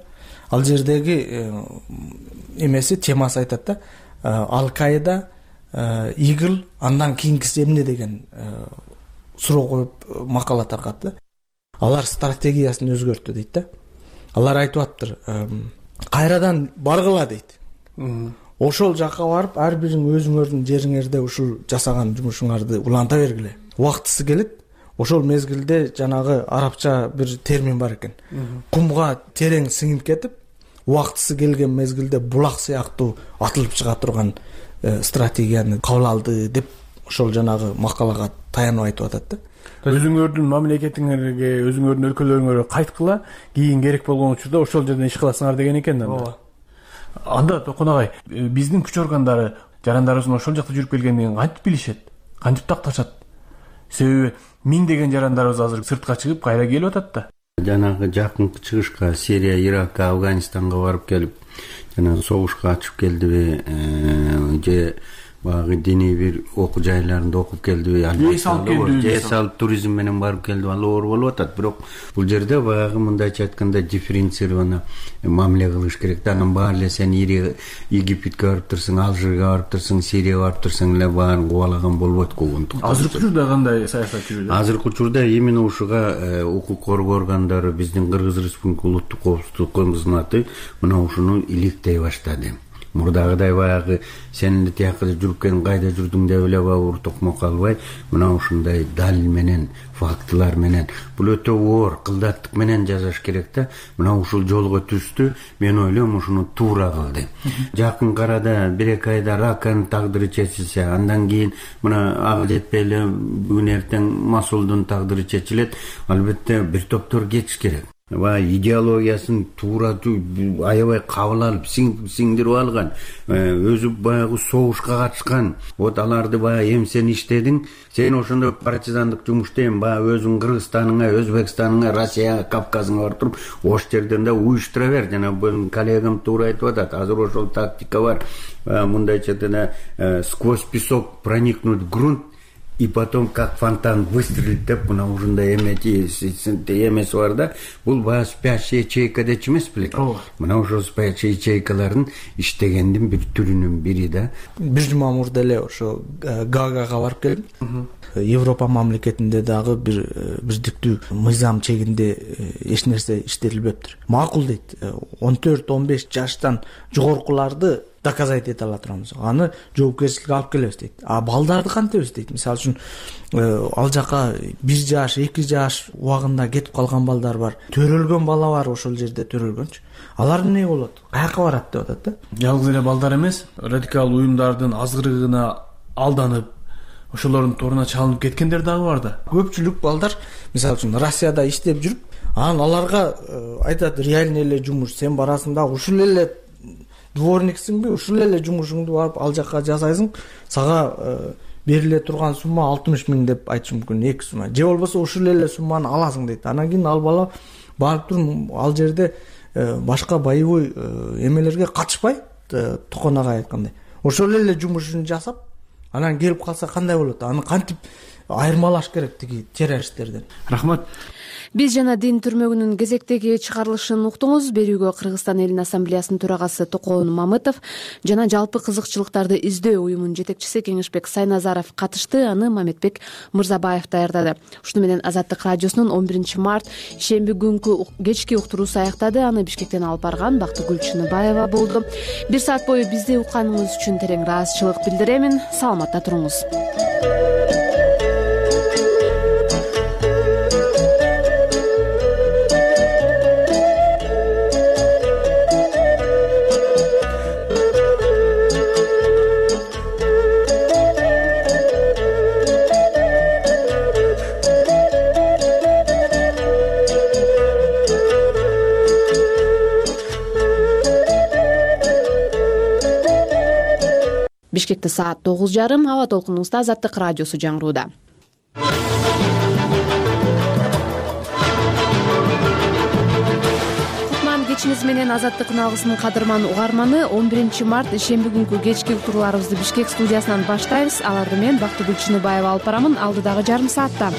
Ал жердеги эмеси, темасы айтат да, Ал-Каида, ИГИЛ, андан кийинкиси эмне деген суроо коюп макала таркатты. Алар стратегиясын өзгөрттү дейт да. Алар айтып атыптыр, кайрадан баргыла дейт. Ошол жакка барып, ар бириң өзүңөрдүн жериңерде ушул жасаган жумушуңарды уланта бергиле. Убактысы келет. Ошол мезгилде жанагы арабча бир термин бар экен. Кумга терең сиңип кетип, убактысы келген мезгилде булак сыяктуу атылып чыга турган стратегияны кабыл алды деп ошол жанагы макалага таянып айтып атат да. Өзүңөрдүн мамлекетиңерге, өзүңөрдүн өлкөлөрүңөргө кайткыла, кийин керек болгон учурда ошол жерден иш кыласыңар деген экен да. Ооба. Анда Токон агай, биздин күч органдары жарандарыбыздын ошол жакта жүрүп келгендигин кантип билишет? Кантип такташат? Себеби миңдеген жарандарыбыз азыр сыртка чыгып кайра келип атат да. Жанагы жакынкы чыгышка, Сирия, Ирак, Афганистанга барып келип, жана согушка ачып келдиби, же багы диний бир окуу жайларында окуп келдиби, же салып туризм менен барып келдиби, ал оор болуп атат. Бирок бул жерде багы мындайча айтканда дифференцированно мамиле кылыш керек да. Анан баары эле сен Египетке барып турсаң, Алжирге барып турсаң, Сирияга барып турсаң эле баарын кубалаган болбойт когонтук. Азыркы учурда кандай саясат жүрүүдө? Азыркы учурда именно ушуга укук коргоо органдары, биздин Кыргыз Республикасы Улуттук коопсуздук кызматы мына ушуну иликтей баштады. Мурдагыдай баягы сен эле тиякка жүрүп келип кайда жүрдүң деп эле бабур токмок албай, мына ушундай далил менен, фактылар менен, бул өтө оор кылдаттык менен жазаш керек да. Мына ушул жолго түстү, мен ойлойм ушуну туура кылды. Жакын арада 1-2 айда Раканын тагдыры чечилсе, андан кийин мына ага жетпей эле бүгүн эртең Масулдун тагдыры чечилет. Албетте бир топтор кетиш керек. Идеологиясын туура аябай кабыл алып, сиңдирип алган, өзү баягы согушка катышкан, вот аларды баягы эмсен иштедиң, сен ошондо партизандык жумуш дейм, баягы өзүң Кыргызстаныңа, Өзбекстаныңа, Россияга, Кавказыңа барып туруп, ош жерден да уюштура бер. Жана бул коллегам туура айтып атат, азыр ошол тактика бар. Мындайча айтканда, сквозь песок проникнуть в грунт, и потом как фонтан выстрелит деп, мына ушундай эмеси бар да. Бул баягы спящая ячейка дечи эмес белек. Мына ошол спящая ячейкалардын иштегендин бир түрүнүн бири да. Бир жума мурда эле ошо Гаагага барып келдим. Европа мамлекетинде дагы бирдиктүү мыйзам чегинде эч нерсе иштетилбептир. Макул дейт. 14-15 жаштан жогоркуларды доказать эте ала турабыз. Аны жоопкерчиликке алып келебиз дейт. Балдарды кантебиз дейт. Мисалы үчүн ал жака 1 жаш, 2 жаш убагында кетип калган балдар бар. Төрөлгөн бала бар ошол жерде төрөлгөнчү. Алар эмне болот? Каяка барат деп атат да. Жалгыз эле балдар эмес, радикал уюмдардын азгырыгына алданып, ошолордун торуна чалынып кеткендер дагы бар да. Көпчүлүк балдар, мисалы үчүн Россияда иштеп жүрүп, анан аларга айтат, реальный эле жумуш, сен барасың да ушул эле дворниксиңби, ушул эле жумушуңду барып ал жакка жасайсың, сага бериле турган сумма 60 000 деп айтышы мүмкүн, 2 сумма. Же болбосо ушул эле сумманы аласың дейт. Анан кийин ал бала барып туруп ал жерде башка боевой эмелерге катышпай, Токон агай айткандай, ошол эле жумушун жасап, анан келип калса кандай болот? Аны кантип айырмалаш керек тиги террористтерден. Рахмат. Биз жана дин түрмөгүнүн кезектеги чыгарылышын уктуңуз. Берүүгө Кыргызстан элинин ассамблеясынын төрагасы Токоон Мамытов жана жалпы кызыкчылыктарды издөө уюмунун жетекчиси Кеңешбек Сайназаров катышты. Аны Мамедбек Мырзабаев даярдады. Ушуну менен Азаттык радиосунун 11 март шемби күнкү кечки уктуруусу аяктады. Аны Бишкектен алып барган Бактыгүл Чыныбаева болду. 1 саат бою бизди укканыңыз үчүн терең ыраазычылык билдиремин. Саламатта туруңуз. Бишкекте саат 9:30. Аба толкунубузда Азаттык радиосу жаңырууда. Кутман кечиңиз менен Азаттыктын алгысынын кадырман угарманы. 11 март шемби күнкү кечки уктурууларыбызды Бишкек студиясынан баштайбыз. Аларды мен Бактыгүл Чыныбаева алып барамын алдыдагы жарым саатта.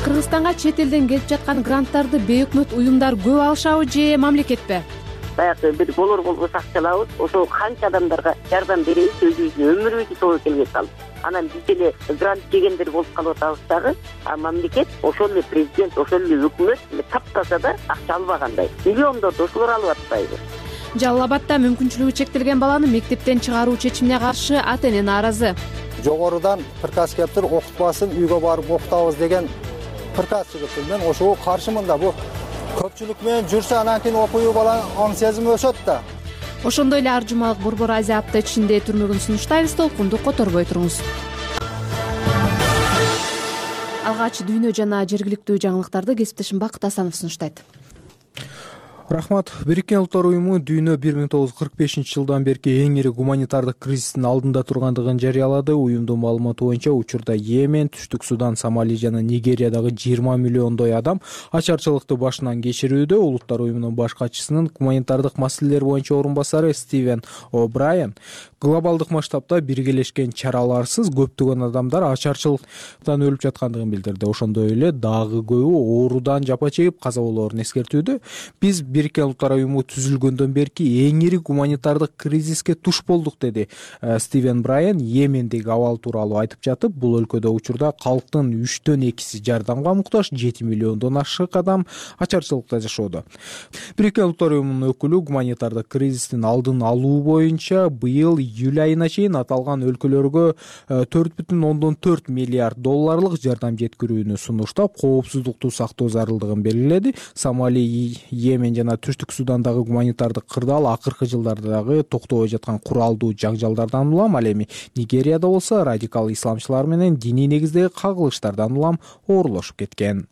Кыргызстанга чет элден келип жаткан гранттарды бейөкмөт уюмдар көп алышабы же мамлекетпи? Баягы бир болбос акчалабыз, ошол канча адамдарга жардам беребиз, өзүбүздүн өмүрүбүздү тобо келбей калды. Анан биз эле грант жегендер болуп калып атабыз дагы, а мамлекет ошол эле президент, ошол эле өкмөт таптаса да акча албагандай. Миллиондорду ошолор алып атпайбы? Жалал Абадда мүмкүнчүлүгү чектелген баланы мектептен чыгаруу чечимине каршы ата-эне нааразы. Жогорудан приказ келип туруп, окутпасын, үйгө барып окутабыз деген приказ чыгып, мен ошого каршымын да. Бу көпчүлүк менен жүрсө анан кийин окуйбу бала оң сезими өсөт да. Ошондой эле Ар жумалык Борбор Азия апта ичинде түрмөгүн сунуштайбыз, толкунду которбой туруңуз. Алгач дүйнө жана жергиликтүү жаңылыктарды кесиптешим Бакыт Асанов сунуштайт. Рахмат. Бириккен Улуттар уюму дүйнө 1945-жылдан берки эң ири гуманитардык кризистин алдында тургандыгын жарыялады. Уюмдун маалыматы боюнча учурда Йемен, Түштүк Судан, Сомали жана Нигериядагы 20 миллиондой адам ачарчылыкты башынан кечирүүдө. Улуттар уюмунун баш катчысынын гуманитардык маселелер боюнча орун басары Стивен О'Брайен глобалдык масштабта биргелешкен чараларсыз көптөгөн адамдар ачарчылыктан өлүп жаткандыгын билдирди. Ошондой эле дагы көбү оорудан жапа чегип каза болоорун эскертүүдө. Биз Бириккен Улуттар уюму түзүлгөндөн берки эң ири гуманитардык кризиске туш болдук, деди Стивен Брайен Йемендеги абал тууралуу айтып жатып. Бул өлкөдө учурда калктын 3/2 жардамга муктаж, 7 миллиондон ашык адам ачарчылыкта жашоодо. Бириккен Улуттар уюмунун өкүлү гуманитардык кризистин алдын алуу боюнча быйыл июль айына чейин аталган өлкөлөргө 4,4 миллиард долларлык жардам жеткирүүнү сунуштап, коопсуздукту сактоо зарылдыгын белгиледи. Сомали, Йемен жана Түштүк Судандагы гуманитардык кырдаал акыркы жылдардагы токтобой жаткан куралдуу жаңжалдардан улам, ал эми Нигерияда болсо радикал исламчылар менен диний негиздеги кагылыштардан улам оорлошуп кеткен.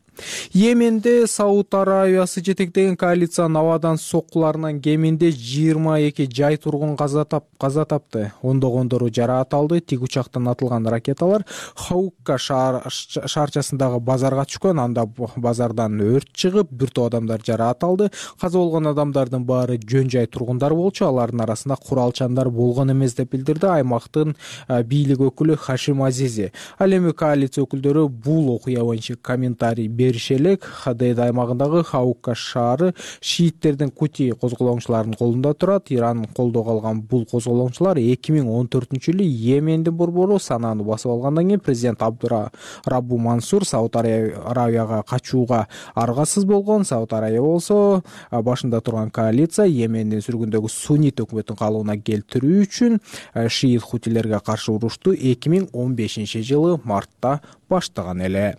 Йеменде Сауд Арабиясы жетектеген коалициянын абадан соккуларынан кеминде 22 жай тургун каза тапты. Ондогондору жараат алды. Тик учактан атылган ракеталар Хаукка шаарчасындагы базарга түшкөн. Анда базардан өрт чыгып, бир топ адамдар жараат алды. Каза болгон адамдардын баары жөн жай тургундар болчу. Алардын арасында куралчандар болгон эмес деп билдирди аймактын бийлик өкүлү Хашим Азизи. Ал эми коалиция өкүлдөрү бул окуя боюнча комментарий беришелек. Хадейд аймагындагы Хаукка шаары шииттердин Кути козголоңчуларынын колунда турат. Иран колдоого алган бул козголоңчулар 2014-жылы Йемендин борбору Сананы басып алгандан кийин президент Абдураббу Мансур Сауд Арабияга качууга аргасыз болгон. Сауд Арабия болсо башында турган коалиция Йемендин сүргүндөгү суннит өкмөтүн калыбына келтирүү үчүн шиит хутилерге каршы урушту 2015-жылы мартта баштаган эле.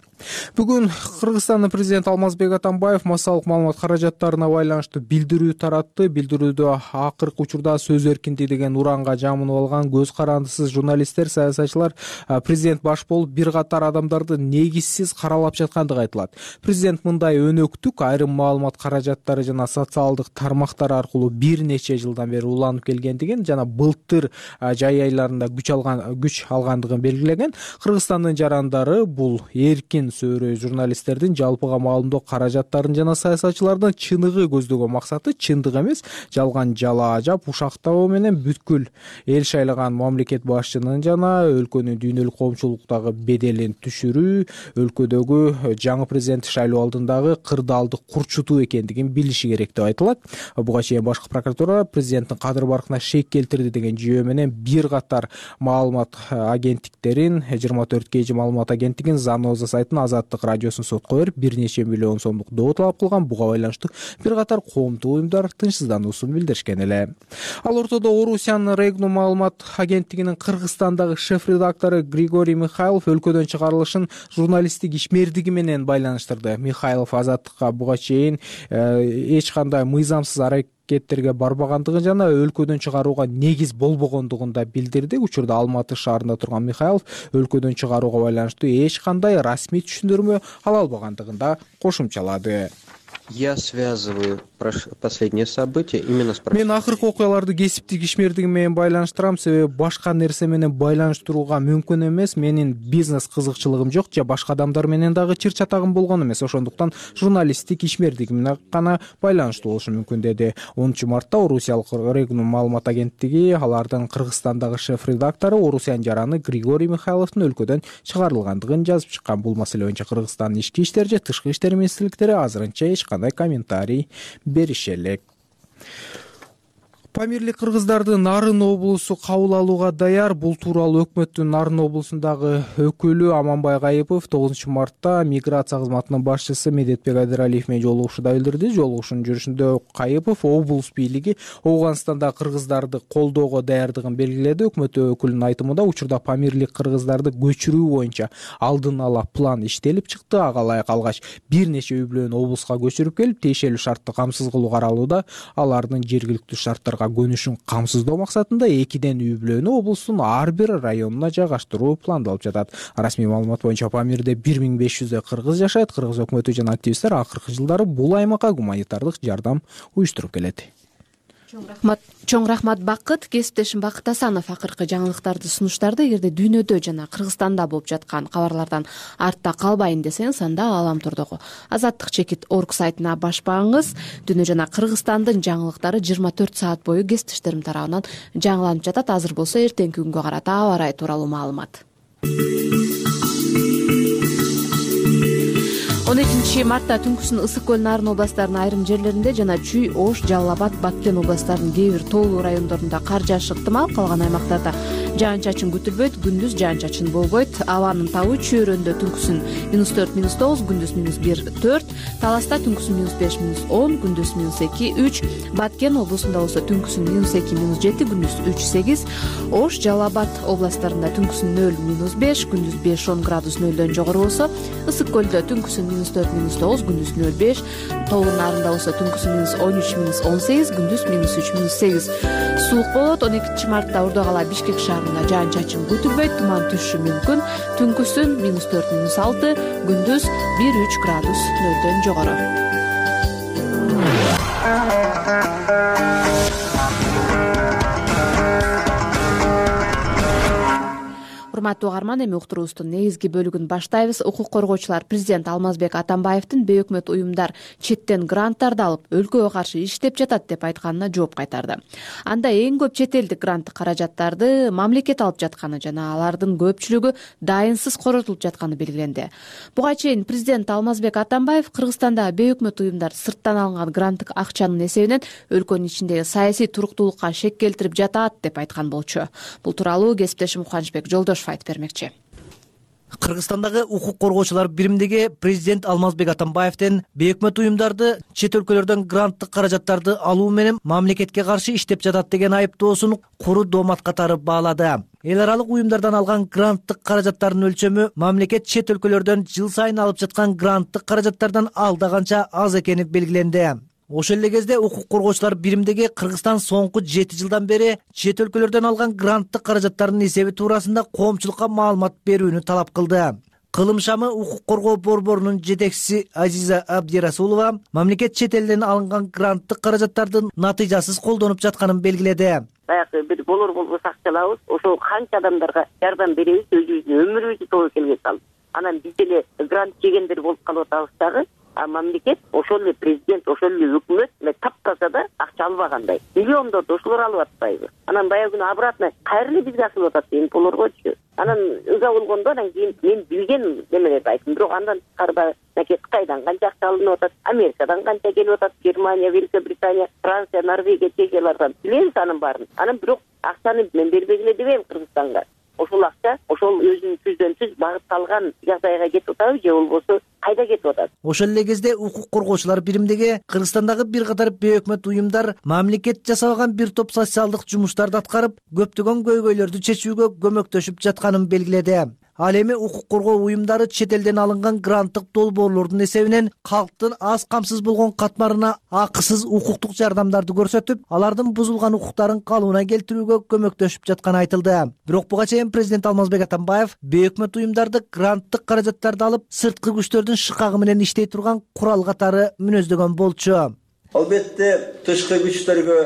Бүгүн Кыргызстандын президенти Алмазбек Атамбаев массалык маалымат каражаттарына байланыштуу билдирүү таратты. Билдирүүдө акыркы учурда сөз эркиндиги деген уранга жамынып алган көз карандысыз журналисттер, саясатчылар президент баш болуп бир катар адамдарды негизсиз каралап жаткандыгы айтылат. Президент мындай өнөктүк айрым маалымат каражаттары жана социалдык тармактар аркылуу бир нече жылдан бери уланып келгендигин жана былтыр жай айларында күч алгандыгын белгилеген. Кыргызстандын жарандары бул эркин сөөрөй журналисттердин жалпыга маалымдоо каражаттарын жана саясатчылардын чыныгы көздөгөн максаты чындык эмес, жалган жалаа жап ушактабоо менен бүткүл эл шайлаган мамлекет башчынын жана өлкөнүн дүйнөлүк коомчулуктагы беделин түшүрүү, өлкөдөгү жаңы президент шайлоо алдындагы кырдаалдык курчутуу экендигин билиши керек деп айтылат. Буга чейин башкы прокуратура президенттин кадыр баркына шек келтирди деген жүйө менен бир катар маалымат агенттиктерин 24 маалымат агенттигин Заноза сайтын, Азаттык радиосун сотко берип, бир нече миллион сомдук доо талап кылган. Буга байланыштуу бир катар коомдук уюмдар тынчсыздануусун билдиришкен эле. Ал ортодо Орусиянын Регнум маалымат агенттигинин Кыргызстандагы шеф-редактору Григорий Михайлов өлкөдөн чыгарылышын журналисттик ишмердиги менен байланыштырды. Михайлов Азаттыкка буга чейин эч кандай мыйзамсыз аракеттерге барбагандыгын жана өлкөдөн чыгарууга негиз болбогондугун да билдирди. Учурда Алматы шаарында турган Михайлов өлкөдөн чыгарууга байланыштуу эч кандай расмий түшүндүрмө ала албагандыгын да кошумчалады. Я связываю последние события именно с Мен акыркы окуяларды кесиптик ишмердигим менен байланыштырам, себеби башка нерсе менен байланыштырууга мүмкүн эмес. Менин бизнес кызыкчылыгым жок, же башка адамдар менен дагы чыр чатагым болгон эмес. Ошондуктан журналисттик ишмердигим менен гана байланыштуу болушу мүмкүн, деди. 10 мартта Орусиялык Регнум маалымат агенттиги алардын Кыргызстандагы шеф-редактору Орусиян жараны Григорий Михайловдун өлкөдөн чыгарылгандыгын жазып чыккан. Бул маселе боюнча Кыргызстандын ички иштер же тышкы иштер министрликтери азырынча эч кандай комментарий бериши элек. Памирлик кыргыздарды Нарын облусу кабыл алууга даяр. Бул тууралуу өкмөттүн Нарын облусундагы өкүлү Аманбай Кайыпов 9 мартта миграция кызматынын башчысы Медетбек Айдаралиев менен жолугушууда билдирди. Жолугушуунун жүрүшүндө Кайыпов облус бийлиги Ооганстандагы кыргыздарды колдоого даярдыгын белгиледи. Өкмөт өкүлүнүн айтымында, учурда памирлик кыргыздарды көчүрүү боюнча алдын ала план иштелип чыкты. Ага ылайык алгач бир нече үй бүлөнү облуска көчүрүп келип, тиешелүү шартты камсыз кылуу каралууда. Алардын жергиликтүү шарттарга көнүшүн камсыздоо максатында 2ден үй бүлөнү облустун ар бир районуна жайгаштыруу пландалып жатат. Расмий маалымат боюнча Памирде 1500 кыргыз жашайт. Кыргыз өкмөтү жана активисттер акыркы жылдары бул аймакка гуманитардык жардам уюштуруп келет. Чоң рахмат Бакыт. Кесиптешим Бакыт Асанов акыркы жаңылыктарды сунуштарды. Эгерде дүйнөдө жана Кыргызстанда болуп жаткан кабарлардан артта калбайын десеңиз, анда Ааламтордогу Азаттык.org сайтына башпаңыз. Дүйнө жана Кыргызстандын жаңылыктары 24 саат бою кесиптештерим тарабынан жаңыланып жатат. Азыр болсо эртеңки күнгө карата аба ырайы тууралуу маалымат. 12 мартта түнкүсүн Ысык көл, Нарын областарынын айрым жерлеринде жана Чүй, Ош, Жалал Абад, Баткен областарынын кээ бир тоолуу райондорунда кар жаашы ыктымал. Калган аймактарда жаан-чачын күтүлбөйт, күндүз жаан-чачын болбойт. Абанын табы Чүйөрөндө түнкүсүн -4, -9, күндүз -1, -4, Таласта түнкүсүн -5, -10, күндүз -2, -3, Баткен облусунда болсо түнкүсүн -2, -7, күндүз 3, -8, Ош, Жалал Абад областарында түнкүсүн 0, -5, күндүз 5-10 градус нөлдөн жогору болсо, Ысык көлдө түнкүсүн -4, -9, күндүз 0,5, тоолуу Нарында болсо түнкүсүн -13, -18, күндүз -3, -8. Суук болот. 12 мартта Ордо кала Бишкек шаарында жаан-чачын күтүлбөйт, туман түшүшү мүмкүн. Түнкүсүн -4, -6, күндүз 1-3 градус нөлдөн жогору. Урматтуу угарман, эми уктуруубуздун негизги бөлүгүн баштайбыз. Укук коргоочулар президент Алмазбек Атамбаевдин бейөкмөт уюмдар четтен гранттарды алып, өлкөгө каршы иштеп жатат деп айтканына жооп кайтарды. Анда эң көп чет элдик гранттык каражаттарды мамлекет алып жатканы жана алардын көпчүлүгү дайынсыз коротулуп жатканы белгиленди. Буга чейин президент Алмазбек Атамбаев Кыргызстанда бейөкмөт уюмдар сырттан алынган гранттык акчанын эсебинен өлкөнүн ичиндеги саясий туруктуулукка шек келтирип жатат деп айткан болчу. Бул тууралуу кесиптешим Кубанычбек Жолдошов айтып бермекчи. Кыргызстандагы укук коргоочулар биримдиги президент Алмазбек Атамбаевдин бейөкмөт уюмдарды чет өлкөлөрдөн гранттык каражаттарды алуу менен мамлекетке каршы иштеп жатат деген айыптоосун куру доомат катары баалады. Эл аралык уюмдардан алган гранттык каражаттардын өлчөмү мамлекет чет өлкөлөрдөн жыл сайын алып жаткан гранттык каражаттардан алда канча аз экени белгиленди. Ошол эле кезде укук коргоочулар биримдиги Кыргызстан соңку 7 жылдан бери чет өлкөлөрдөн алган гранттык каражаттардын эсеби туурасында коомчулукка маалымат берүүнү талап кылды. Кылым шамы укук коргоо борборунун жетекчиси Азиза Абдирасулова мамлекет чет элден алынган гранттык каражаттардын натыйжасыз колдонуп жатканын белгиледи. Баягы бир болор болбос акчалабыз, ошол канча адамдарга жардам беребиз, өзүбүздүн өмүрүбүздү тобокелге салып. анан биз деле грант жегендер болуп калып атабыз дагы. А мамлекет ошол эле президент, ошол эле өкмөт таптаса да акча албагандай. Миллиондорду ошолор алып атпайбы? Анан баягы күнү обратно кайра эле бизге асылып атат деген болоргочу. Анан ыза болгондо анан кийин мен билген немелерди айттым. Бирок андан тышкары Кытайдан канча акча алынып атат, Америкадан канча келип атат, Германия, Великобритания, Франция, Норвегия, Чехиялардан билебиз анын баарын. Анан бирок акчаны мен бербей эле дебейм Кыргызстанга. Ошол акча ошол өзүнүн түздөн түз багытталган жагдайга кетип атабы же болбосо кайда кетип атат? Ошол эле кезде укук коргоочулар биримдиги Кыргызстандагы бир катар бейөкмөт уюмдар мамлекет жасабаган бир топ социалдык жумуштарды аткарып, көптөгөн көйгөйлөрдү чечүүгө көмөктөшүп жатканын белгиледи. Ал эми укук коргоо уюмдары чет элден алынган гранттык долбоорлордун эсебинен калктын аз камсыз болгон катмарына акысыз укуктук жардамдарды көрсөтүп, алардын бузулган укуктарын калыбына келтирүүгө көмөктөшүп жатканы айтылды. Бирок буга чейин президент Алмазбек Атамбаев бейөкмөт уюмдарды гранттык каражаттарды алып, сырткы күчтөрдүн шыкагы менен иштей турган курал катары мүнөздөгөн болчу. Албетте тышкы күчтөргө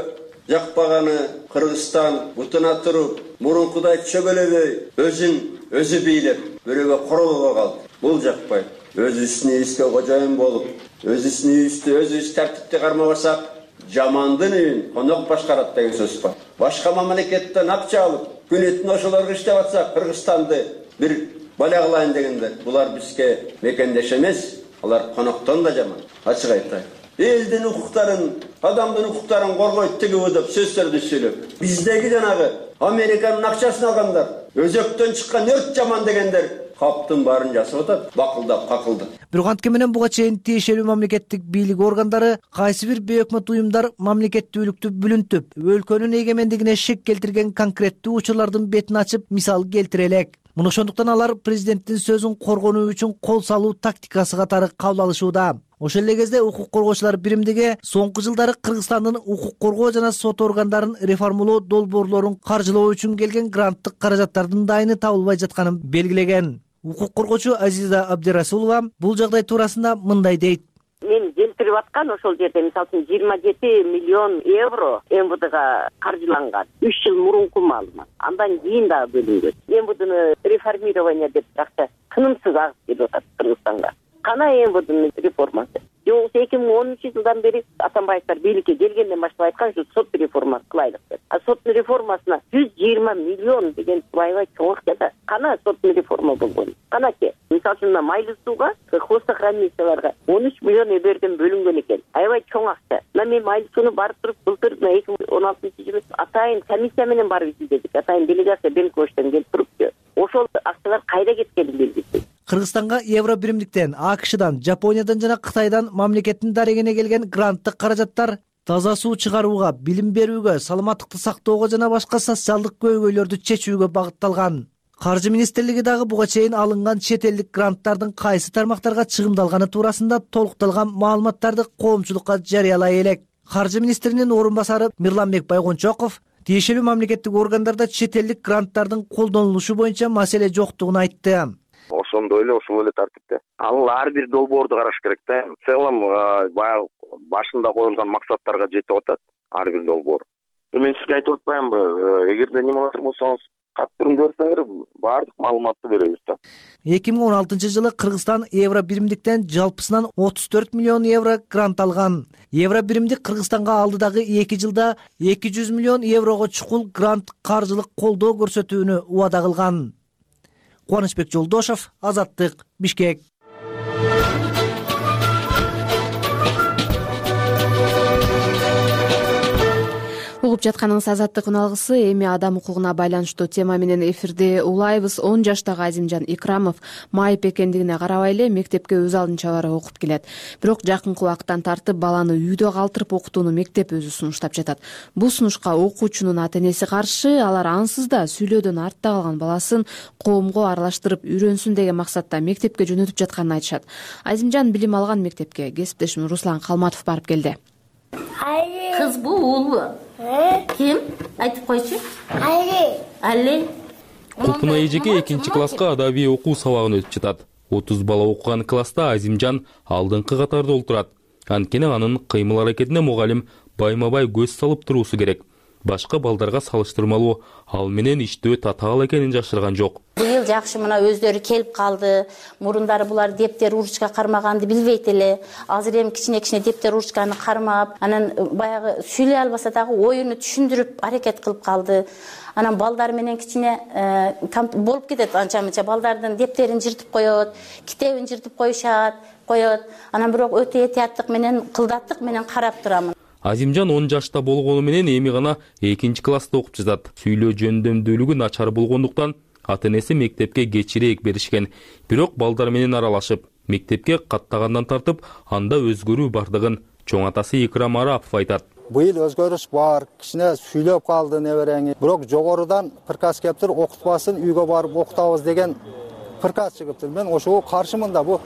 жакпаганы Кыргызстан бутуна туруп, мурункудай чөгөлөбөй, өзү бийлеп, бирөөгө королбой калды. Бул жакпайт. Өзүбүздүн үйүбүзгө кожоюн болуп, өзүбүздүн үйүбүздү өзүбүз тартипти кармабасак, жамандын үйүн конок башкарат деген сөз бар. Башка мамлекеттен акча алып, күнүтүн ошолорго иштеп атсак, Кыргызстанды бир бала кылайын дегендер, булар бизге мекендеш эмес, алар коноктон да жаман. Ачык айтайын. Элдин укуктарын, адамдын укуктарын коргойт тигиби деп сөздөрдү сүйлөп, биздеги жанагы Американын акчасын алгандар, өзөктөн чыккан өрт жаман дегендер каптын баарын жасап атат, бакылдап, какылдап. Бирок антке менен буга чейин тиешелүү мамлекеттик бийлик органдары кайсы бир бейөкмөт уюмдар мамлекеттүүлүктү бүлүнтүп, өлкөнүн эгемендигине шек келтирген конкреттүү учурлардын бетин ачып, мисал келтире элек. Муну ошондуктан алар президенттин сөзүн коргонуу үчүн кол салуу тактикасы катары кабыл алышууда. Ошол эле кезде укук коргоочулар биримдиги соңку жылдары Кыргызстандын укук коргоо жана сот органдарын реформалоо долбоорлорун каржылоо үчүн келген гранттык каражаттардын дайыны табылбай жатканын белгилеген. Укук коргоочу Азиза Абдирасулова бул жагдай туурасында мындай дейт. Мен келтирип аткан ошол жерде мисалы үчүн 27 миллион евро МВДга каржыланган. 3 жыл мурунку маалымат. Андан кийин дагы бөлүнгөн. МВДны реформирование деп акча тынымсыз агып келип атат Кыргызстанга. Кана МВДнын реформасы. Жок 2010-жылдан бери Атамбаевдер бийликке келгенден баштап айткан ушу сот реформасы кылайлык деп. А соттун реформасына 120 миллион деген аябай чоң акча. Кана соттун реформа болгон. Канаки, мисалы үчүн майлы сууга, хвостохранилищаларга 13 миллион эберден бөлүнгөн экен. Аябай чоң акча. Мен майлы сууну барып туруп, былтыр 2016-жылы атайын комиссия менен барып изилдедик. Атайын делегация Бенковичтен келип турупту. Ошол акчалар кайда кеткени белгисиз. Кыргызстанга евро биримдиктен, АКШдан, Жапониядан жана Кытайдан мамлекеттин дарегине келген гранттык каражаттар таза суу чыгарууга, билим берүүгө, саламаттыкты сактоого жана башка социалдык көйгөйлөрдү чечүүгө багытталган. Каржы министрлиги дагы буга чейин алынган чет элдик гранттардын кайсы тармактарга чыгымдалганы туурасында толукталган маалыматтарды коомчулукка жарыялай элек. Каржы министринин орун басары Мирланбек Байгончоков тиешелүү мамлекеттик органдарда чет элдик гранттардын колдонулушу боюнча маселе жоктугун айтты. Ошондой эле ушул эле тартипте. Ал ар бир долбоорду караш керек да. В целом баягы башында коюлган максаттарга жетип атат ар бир долбоор. Мен сизге айтып атпаймынбы, эгерде неме кылат болсоңуз, каттырым көрсөңөр баардык маалыматты беребиз да. 2016-жылы Кыргызстан евро биримдиктен жалпысынан 34 миллион евро грант алган. Евро биримдик Кыргызстанга алдыдагы 2 жылда 200 миллион еврого чукул грант каржылык колдоо көрсөтүүнү убада кылган. Кубанычбек Жолдошов, Азаттык, Бишкек. Угуп жатканыңыз Азаттык үналгысы. Эми адам укугуна байланыштуу тема менен эфирде улайбыз. 10 жаштагы Азимжан Икрамов майып экендигине карабай эле мектепке өз алдынча барып окуп келет. Бирок жакынкы убакыттан тартып баланы үйдө калтырып окутууну мектеп өзү сунуштап жатат. Бул сунушка окуучунун ата-энеси каршы. Алар ансыз да сүйлөөдөн артта калган баласын коомго аралаштырып үйрөнсүн деген максатта мектепке жөнөтүп жатканын айтышат. Азимжан билим алган мектепке кесиптешим Руслан Калматов барып келди. Кызбы, уулбу? Ким? Айтып койчу. Али. Купуна эжеке 2-класска адабий окуу сабагын өтүп жатат. 30 бала окуган класста Азимжан алдыңкы катарда олтурат. Анткени анын кыймыл аракетине мугалим байма-бай көз салып туруусу керек. башка балдарга салыштырмалуу ал менен иштөө татаал экенин жашырган жок. Быйыл жакшы мына өздөрү келип калды. Мурундары булар дептер ручка кармаганды билбейт эле. Азыр эми кичине дептер ручканы кармап, анан баягы сүйлөй албаса дагы оюну түшүндүрүп аракет кылып калды. Анан балдар менен кичине болуп кетет, анча-мынча балдардын дептерин жыртып коет, китебин жыртып коет. Анан бирок өтө этияттык менен, кылдаттык менен карап турамын. Азимжан 10 жашта болгону менен эми гана 2-класста окуп жатат. Сүйлөө жөндөмдүүлүгү начар болгондуктан ата-энеси мектепке кечирээк беришкен. Бирок балдар менен аралашып, мектепке каттагандан тартып, анда өзгөрүү бардыгын чоң атасы Икрам Арапов айтат. Быйыл өзгөрүш бар, кичине сүйлөп калды неберең. Бирок жогорудан приказ келиптир, окутпасын, үйгө барып окутабыз деген приказ чыгыптыр. Мен ошого каршымын да. Бу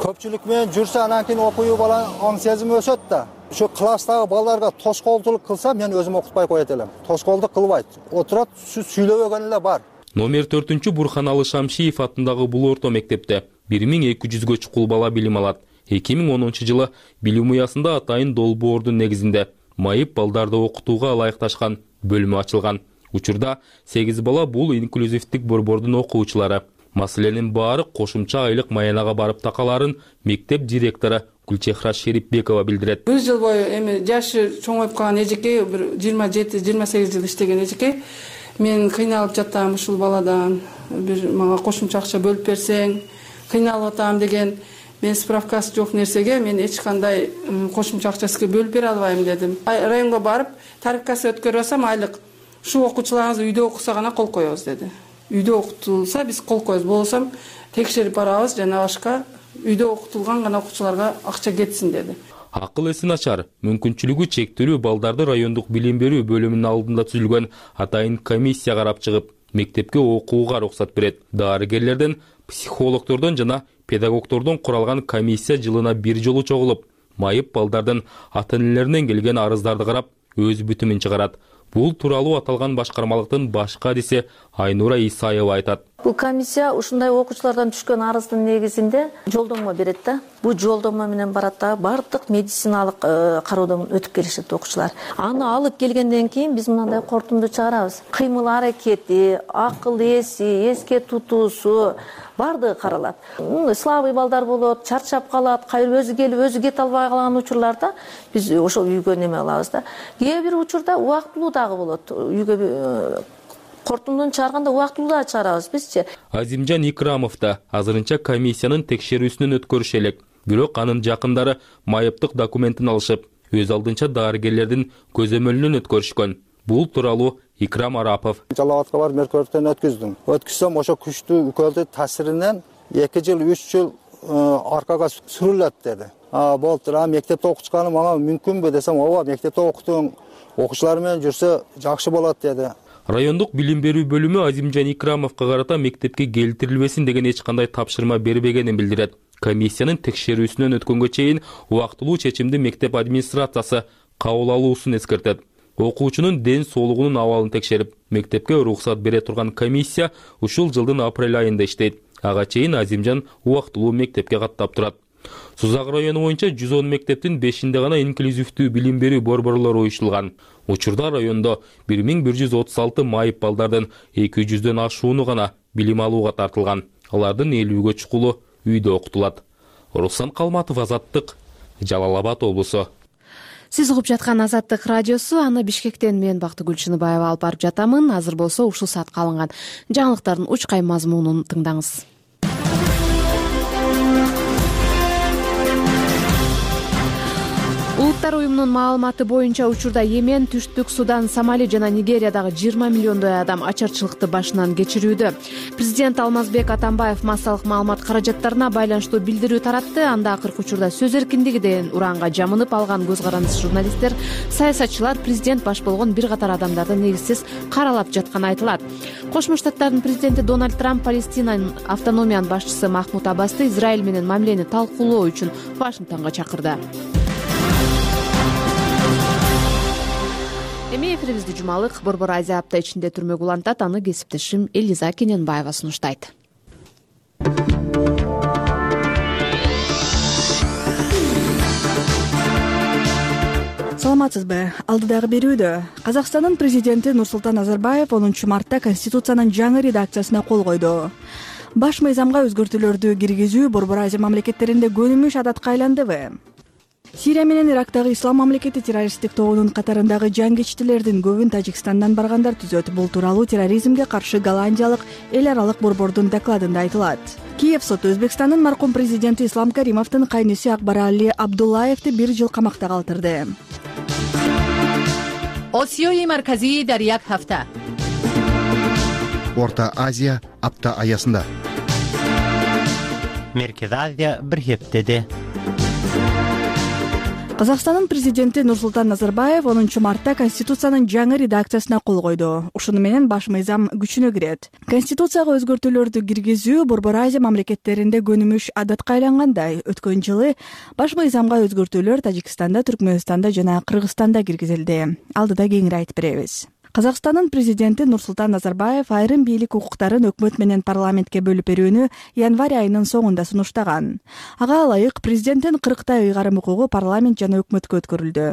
көпчүлүк менен жүрсө анан кийин окууу баланын оң сезими өсөт да. Şu klastагы балдарга тоскоолдулук кылса, мен өзүм окутпай коет элем. Тоскоолдук кылбайт. Отурат, сүйлөбөгөн эле бар. Номер 4 Бурханалы Шамшиев атындагы бул орто мектепте 1200гө чукул бала билим алат. 2010-жылы билим уясында атайын долбоордун негизинде майып балдарды окутууга ылайыкташкан бөлмө ачылган. Учурда 8 бала бул инклюзивдик борбордун окуучулары. Маселенин баары кошумча айлык маянага барып такаларын мектеп директору Гүлчехра Шерипбекова билдирет. Бир жыл бою эми жашы чоңоюп калган эжеке, бир 27-28 жыл иштеген эжеке, мен кыйналып жатам ушул баладан, бир мага кошумча акча бөлүп берсең, кыйналып атам деген. Мен справкасы жок нерсеге мен эч кандай кошумча акчасы бөлүп бере албайм дедим. Районго барып, тарифкасы өткөрүп алсам айлык ушул окуучуларыңыз үйдө окуса гана кол коебуз деди. Үйдө окутулса биз кол коебуз, болсом текшерип барабыз жана башка үйдө окутулган гана окуучуларга акча кетсин деди. Акыл эси начар, мүмкүнчүлүгү чектелүү балдарды райондук билим берүү бөлүмүнүн алдында түзүлгөн атайын комиссия карап чыгып, мектепке окууга уруксат берет. Дарыгерлерден, психологдордон жана педагогдордон куралган комиссия жылына бир жолу чогулуп, майып балдардын ата-энелеринен келген арыздарды карап, өз бүтүмүн чыгарат. Бул тууралуу аталган башкармалыктын башкы адиси Айнура Исаева айтат. Бул комиссия ушундай окуучулардан түшкөн арыздын негизинде жолдомо берет да. Бул жолдомо менен барат да, бардык медициналык кароодон өтүп келишет окуучулар. Аны алып келгенден кийин биз мындай кортунду чыгарабыз. Кыймыл аракети, акыл эси, эске тутуусу бардыгы каралат. Слабый балдар болот, чарчап калат, кайра өзү келип өзү кете албай калган учурларда биз ошол үйгө неме алабыз да. Кээ бир учурда убактылуу дагы болот. Үйгө кортундун чыгарганда убактылуу да чыгарабыз бизчи. Азимжан Икрамов да азырынча комиссиянын текшерүүсүнөн өткөрүшө элек. Бирок анын жакындары майыптык документин алышып, өз алдынча дарыгерлердин көзөмөлүнөн өткөрүшкөн. Бул тууралуу Икрам Арапов. Жалал Абадка барып меркөөрдөн өткүздүм. Өткүзсөм ошо күчтүү үкөлдү таасиринен 2 жыл 3 жыл аркага сүрүлөт деди. Болду, мектепте окучканым мага мүмкүнбү десем, ооба, мектепте окутуң, окуучулар менен жүрсө жакшы болот деди. Райондук билим берүү бөлүмү Азимжан Икрамовго карата мектепке келтирилбесин деген эч кандай тапшырма бербегенин билдирет. Комиссиянын текшерүүсүнөн өткөнгө чейин убактылуу чечимди мектеп администрациясы кабыл алуусун эскертет. Окуучунун ден соолугунун абалын текшерип, мектепке уруксат бере турган комиссия ушул жылдын апрель айында иштейт. Ага чейин Азимжан убактылуу мектепке каттап турат. Сузак району боюнча 110 мектептин 5-inde гана инклюзивдүү билим берүү борборлору уюштулган. Учурда райондо 1136 майып балдардын 200дөн ашууну гана билим алууга тартылган. Алардын 50гө чукулу үйдө окутулат. Руслан Калматов, Азаттык, Жалал Абад облусу. Сиз угуп жаткан Азаттык радиосу, аны Бишкектен мен Бактыгүл Чыныбаева алып барып жатамын. Азыр болсо ушул саатка алынган жаңылыктардын учкай мазмунун тыңдаңыз. Улуттар уюмунун маалыматы боюнча учурда Йемен, Түштүк Судан, Сомали жана Нигериядагы 20 миллиондой адам ачарчылыкты башынан кечирүүдө. Президент Алмазбек Атамбаев массалык маалымат каражаттарына байланыштуу билдирүү таратты. Анда акыркы учурда сөз эркиндиги деген уранга жамынып алган көз карандысыз журналисттер, саясатчылар президент баш болгон бир катар адамдарды негизсиз каралап жатканы айтылат. Кошмо Штаттардын президенти Дональд Трамп Палестинанын автономиянын башчысы Махмуд Аббасты Израиль менен мамилени талкуулоо үчүн Вашингтонго чакырды. Эми эфирибизди жумалык Борбор Азия апта ичинде түрмөгө улантат. Аны кесиптешим Элиза Кененбаева сунуштайт. саламатсызбы? Алдыдагы берүүдө Казакстандын президенти Нурсултан Назарбаев 10 мартта Конституциянын жаңы редакциясына кол койду. Баш мыйзамга өзгөртүүлөрдү киргизүү Борбор Азия мамлекеттеринде көнүмүш адатка айландыбы? Сирия менен Ирактагы Ислам мамлекети террористтик тобунун катарындагы жангечтилердин көбүн Тажикстандан баргандар түзөт. Бул тууралуу терроризмге каршы голландиялык эл аралык борбордун докладында айтылат. Киев соту Өзбекстандын маркум президенти Ислам Каримовдун кайнысы Акбарали Абдуллаевди 1 жыл камакта калтырды. Осиёи марказии дар як ҳафта. Орто Азия апта аясында. Меркез Азия бир хептеде. Казакстандын президенти Нурсултан Назарбаев 10 мартта Конституциянын жаңы редакциясына кол койду. Ушуну менен баш мыйзам күчүнө кирет. Конституцияга өзгөртүүлөрдү киргизүү Борбор Азия мамлекеттеринде көнүмүш адатка айлангандай. Өткөн жылы баш мыйзамга өзгөртүүлөр Тажикстанда, Түркмөнстанда жана Кыргызстанда киргизилди. Алдыда кеңири айтып беребиз. Казакстандын президенти Нурсултан Назарбаев айрым бийлик укуктарын өкмөт менен парламентке бөлүп берүүнү январь айынын соңунда сунуштаган. Ага ылайык президенттин 40 ыйгарым укугу парламент жана өкмөткө өткөрүлдү.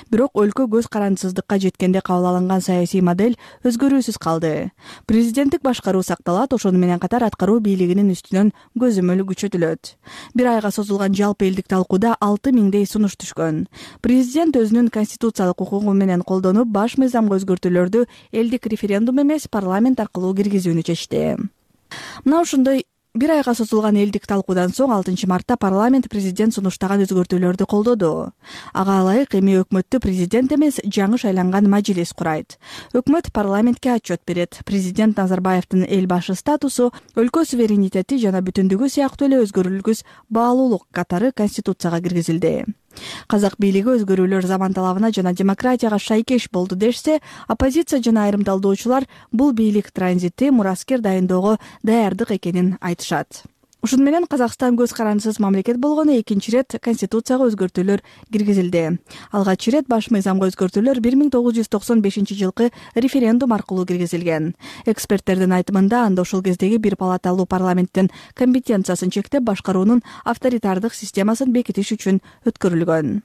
Бирок өлкө көз карандысыздыкка жеткенде кабыл алынган саясий модель өзгөрүүсүз калды. Президенттик башкаруу сакталат, ошону менен катар аткаруу бийлигинин үстүнөн көзөмөл күчөтүлөт. 1 айга созулган жалпы элдик талкууда 6000 сунуш түшкөн. Президент өзүнүн конституциялык укугу менен колдонуп, баш мыйзамга өзгөртүүлөр элдик референдум эмес парламент аркылуу киргизүүнү чечти. Мына ушундай 1 айга созулган элдик талкуудан соң 6 мартта парламент президент сунуштаган өзгөртүүлөрдү колдоду. Ага ылайык эми өкмөттү президент эмес, жаңы шайланган мажлис курайт. Өкмөт парламентке отчет берет. Президент Назарбаевдин эл башы статусу, өлкө суверенитети жана бүтүндүгү сыяктуу эле өзгөрүлгүс баалуулук катары конституцияга киргизилди. Казак бийлиги өзгөрүүлөр заман талабына жана демократияга шайкеш болду дешсе, оппозиция жана айрым талдоочулар бул бийлик транзити мураскер дайындоого даярдык экенин айтышат. Ушун менен Казакстан көз карандысыз мамлекет болгону 2 рет конституцияга өзгөртүүлөр киргизилди. Алгач рет баш мыйзамга өзгөртүүлөр 1995 жылкы референдум аркылуу киргизилген. Эксперттердин айтымында анда ошол кездеги бир палаталуу парламенттин компетенциясын чектеп башкаруунун авторитардык системасын бекитиш үчүн өткөрүлгөн.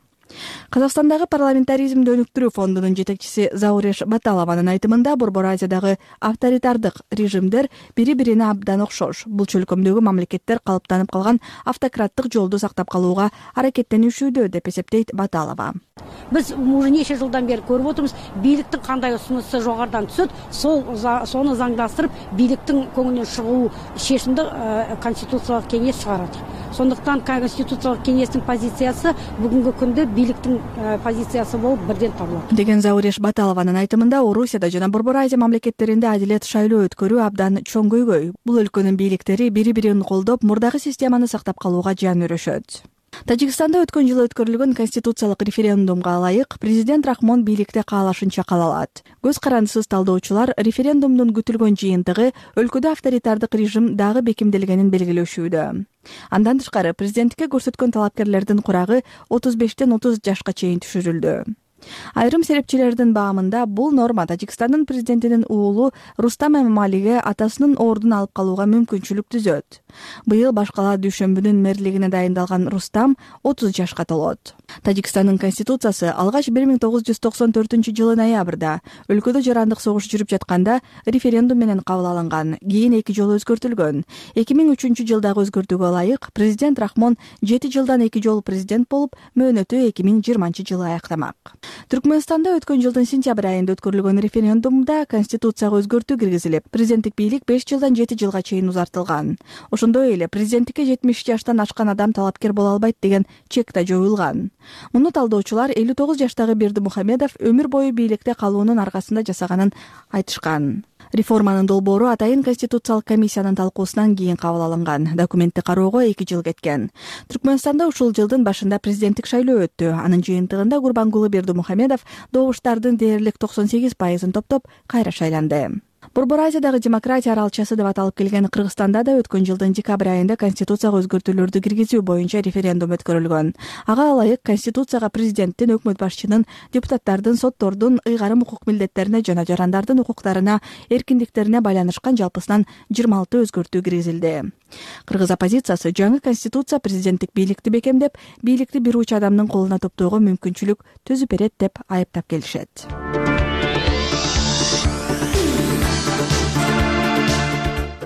Казакстандагы парламентаризмди өнүктүрүү фондунун жетекчиси Зауреш Баталованын айтымында Борбор Азиядагы авторитардык режимдер бири-бирине абдан окшош. Бул чөлкөмдөгү мамлекеттер калыптанып калган автократтык жолду сактап калууга аракеттенишүүдө деп эсептейт Баталова. Биз уже нече жылдан бери көрүп отурбуз, бийликтин кандай усунусу жогорудан түшөт, сону заңдаштырып, бийликтин көңүлүнөн чыгуу чечимди конституциялык кеңеш чыгарат. Сондуктан конституциялык кеңештин позициясы бүгүнкү күндө бийликтин позициясы болуп бирден табылат. Деген Зауреш Баталованын айтымында Орусияда жана Борбор Азия мамлекеттеринде адилет шайлоо өткөрүү абдан чоң көйгөй. Бул өлкөнүн бийликтери бири-бирин колдоп, мурдагы системаны сактап калууга жан өрөшөт. Тажикстанда өткөн жылы өткөрүлгөн конституциялык референдумга ылайык президент Рахмон бийликте каалашынча кала алат. Көз карандысыз талдоочулар референдумдун күтүлгөн жыйынтыгы өлкөдө авторитардык режим дагы бекемделгенин белгилешүүдө. Андан тышкары президенттикке көрсөткөн талапкерлердин курагы 35тен 30 жашка чейин түшүрүлдү. Айрым серепчилердин баамында бул норма Тажикстандын президентинин уулу Рустам Эмомалиге атасынын ордун алып калууга мүмкүнчүлүк түзөт. Быйыл башкала дүйшөмбүнүн мэрлигине дайындалган Рустам 30 жашка толот. Тажикстандын конституциясы алгач 1994 жылы ноябрда өлкөдө жарандык согуш жүрүп жатканда референдум менен кабыл алынган. Кийин 2 жолу өзгөртүлгөн. 2003 жылдагы өзгөртүүгө ылайык президент Рахмон 7 жылдан 2 жолу президент болуп, мөөнөтү 2020 жылы аяктамак. Түркмөнстанда өткөн жылдын сентябрь айында өткөрүлгөн референдумда конституцияга өзгөртүү киргизилип, президенттик бийлик 5 жылдан 7 жылга чейин узартылган. Ошондой эле президенттикке 70 жаштан ашкан адам талапкер боло албайт деген чек да жоюлган. Муну талдоочулар 59 жаштагы Бердимухамедов өмүр бою бийликте калуунун аркасында жасаганын айтышкан. Реформанын долбоору атайын конституциялык комиссиянын талкуусунан кийин кабыл алынган. Документти кароого 2 жыл кеткен. Түркмөнстанда ушул жылдын башында президенттик шайлоо өттү. Анын жыйынтыгында Гурбангулы Бердимухамедов добуштардын дээрлик 98%-ын топтоп кайра шайланды. Борбор Азиядагы демократия аралчасы деп аталып келген Кыргызстанда да өткөн жылдын декабрь айында конституцияга өзгөртүүлөрдү киргизүү боюнча референдум өткөрүлгөн. Ага ылайык конституцияга президенттин, өкмөт башчынын, депутаттардын, соттордун ыйгарым укук милдеттерине жана жарандардын укуктарына, эркиндиктерине байланышкан жалпысынан 26 өзгөртүү киргизилди. Кыргыз оппозициясы жаңы конституция президенттик бийликти бекемдеп, бийликти бир уч адамдын колуна топтоого мүмкүнчүлүк түзүп берет деп айыптап келишет.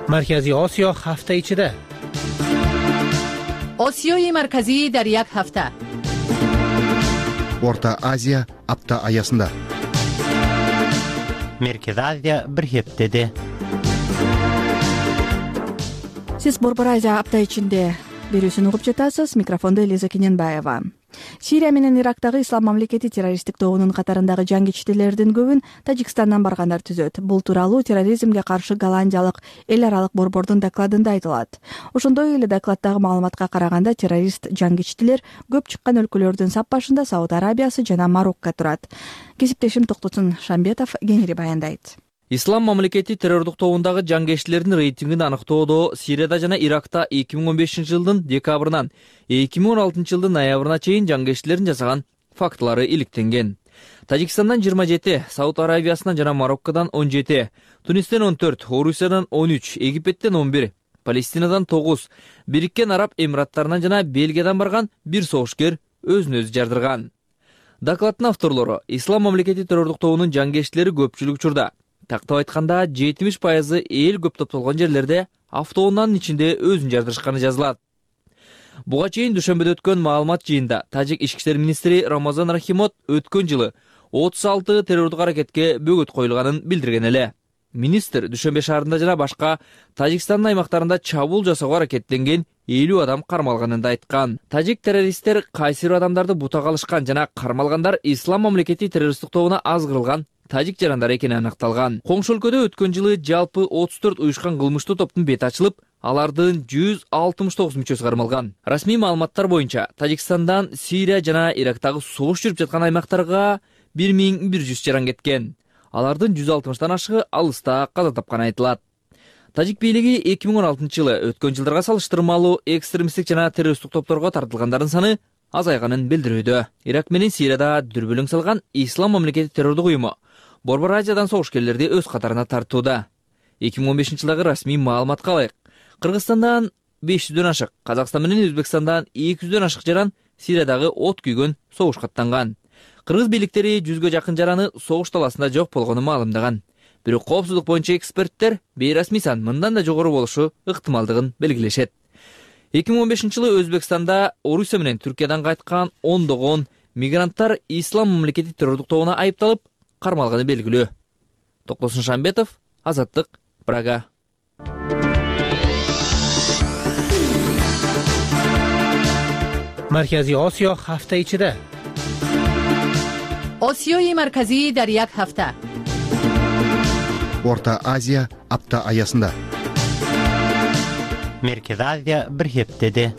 Маркази Осиё ҳафта ичида. осиёи марказӣ дар як ҳафта. Орта Азия апта аясында. Меркези Азия бир хептеде. Сиз Борбор Азия апта ичинде берүүсүн угуп жатасыз. Микрофондо Элиза Кененбаева. Сирия менен Ирактагы Ислам мамлекети террористтик тобунун катарындагы жангичтилердин көбүн Тажикстандан баргандар түзөт. Бул тууралуу терроризмге каршы Голландиялык эл аралык борбордун докладында айтылат. Ошондой эле докладдагы маалыматка караганда террорист жангичтилер көп чыккан өлкөлөрдүн сап башында Сауд Арабиясы жана Марокко турат. Кесиптешим Токтосун Шамбетов кеңири баяндайт. Ислам мамлекети террордук тобундагы жангечтилердин рейтингин аныктоодо Сирияда жана Иракта 2015 жылдын декабрынан 2016 жылдын ноябрына чейин жангечтилердин жасаган фактылары иликтенген. Тажикстандан 27, Сауд Арабиясынан жана Мароккодан 17, Тунистен 14, Орусиядан 13, Египеттен 11, Палестинадан 9, Бириккен Араб Эмираттарынан жана Бельгиядан барган бир согушкер өзүн өзү жардырган. Докладдын авторлору Ислам мамлекети террордук тобунун жангечтилери көпчүлүк учурда, тактап айтканда 70% эл көп топтолгон жерлерде автоунаанын ичинде өзүн жардырышканы жазылат. Буга чейин дүйшөмбөдө өткөн маалымат жыйында Тажик ички иштер министри Рамазан Рахимов өткөн жылы 36 террордук аракетке бөгөт коюлганын билдирген эле. Министр Дүйшөмбө шаарында жана башка Тажикстандын аймактарында чабуул жасоого аракеттенген 50 адам кармалганын да айткан. Тажик террористтер кайсы бир адамдарды бутага алышкан жана кармалгандар Ислам мамлекети террористтик тобуна азгырылган тажик жарандары экени аныкталган. Коңшу өлкөдө өткөн жылы жалпы 34 уюшкан кылмыштуу топтун бети ачылып, алардын 169 мүчөсү кармалган. Расмий маалыматтар боюнча Тажикстандан Сирия жана Ирактагы согуш жүрүп жаткан аймактарга 1100 жаран кеткен. Алардын 160тан ашыгы алыста каза тапканы айтылат. Тажик бийлиги 2016 жылы өткөн жылдарга салыштырмалуу экстремисттик жана террористтик топторго тартылгандардын саны азайганын билдирүүдө. Ирак менен Сирияда дүрбөлөң салган Ислам мамлекети террордук уюму Борбор Азиядан согушкерлерди өз катарына тартууда. 2015 жылдагы расмий маалыматка ылайык, Кыргызстандан 500дөн ашык, Казакстан менен Өзбекстандан 200дөн ашык жаран Сириядагы от күйгөн согушка аттанган. Кыргыз бийликтери 100гө жакын жараны согуш таласында жок болгонун маалымдаган. Бирок коопсуздук боюнча эксперттер бейрасмий сан мындан да жогору болушу ыктымалдыгын белгилешет. 2015 жылы Өзбекстанда Орусия менен Түркиядан кайткан ондогон мигранттар Ислам мамлекети террордук тобуна айыпталып кармалганы белгилүү. Токтосун Шамбетов, Азаттык, Прага. Маркази Осиё ҳафта ичида. осиёи марказӣ дар як ҳафта. Орта Азия апта аясында. Меркези Азия бир хептеде.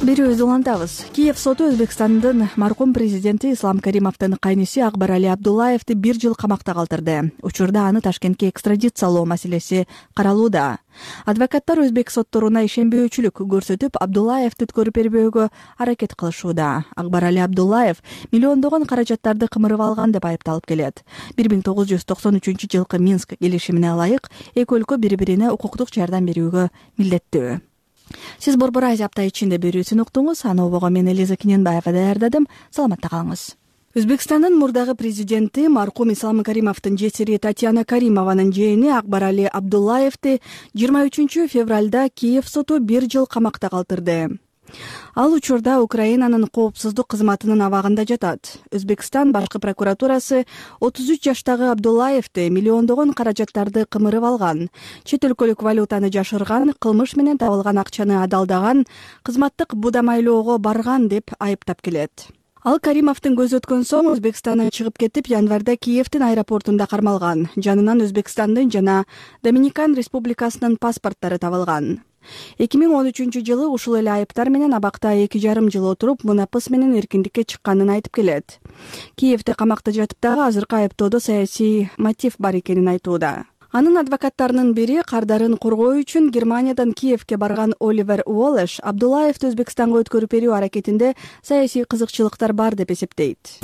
Берүүбүздү улантабыз. Киев соту Өзбекстандын маркум президенти Ислам Каримовдун кайниси Акбарали Абдуллаевди 1 жыл камакта калтырды. Учурда аны Ташкентке экстрадициялоо маселеси каралууда. Адвокаттар өзбек сотторуна ишенбөөчүлүк көрсөтүп, Абдуллаевди өткөрүп бербөөгө аракет кылышууда. Акбарали Абдуллаев миллиондогон каражаттарды кымырып алган деп айыпталып келет. 1993 жылкы Минск келишимине ылайык эки өлкө бири-бирине укуктук жардам берүүгө милдеттүү. Сиз Борбор Азия апта ичинде берүүсүн уктуңуз. Аны обого мен Элиза Кененбаева даярдадым. Саламатта калыңыз. Өзбекстандын мурдагы президенти маркум Ислам Каримовдун жесири Татьяна Каримованын жээни Акбарали Абдуллаевди 23 февралда Киев соту 1 жыл камакта калтырды. Ал учурда Украинанын коопсуздук кызматынын абагында жатат. Өзбекстан башкы прокуратурасы 33 жаштагы Абдуллаевди миллиондогон каражаттарды кымырып алган, чет өлкөлүк валютаны жашырган, кылмыш менен табылган акчаны адалдаган, кызматтык будамайлоого барган деп айыптап келет. Ал Каримовдун көзү өткөн соң Өзбекстандан чыгып кетип, январда Киевдин аэропортунда кармалган. Жанынан Өзбекстандын жана Доминикан Республикасынын паспорттары табылган. 2013-жылы ушул эле айыптар менен абакта 2,5 жыл отуруп, мунапыс менен эркиндикке чыкканын айтып келет. Киевде камакта жатып дагы азыркы айыптоодо саясий мотив бар экенин айтууда. Анын адвокаттарынын бири кардарын коргоо үчүн Германиядан Киевге барган Оливер Уоллеш Абдуллаевди Өзбекстанга өткөрүп берүү аракетинде саясий кызыкчылыктар бар деп эсептейт.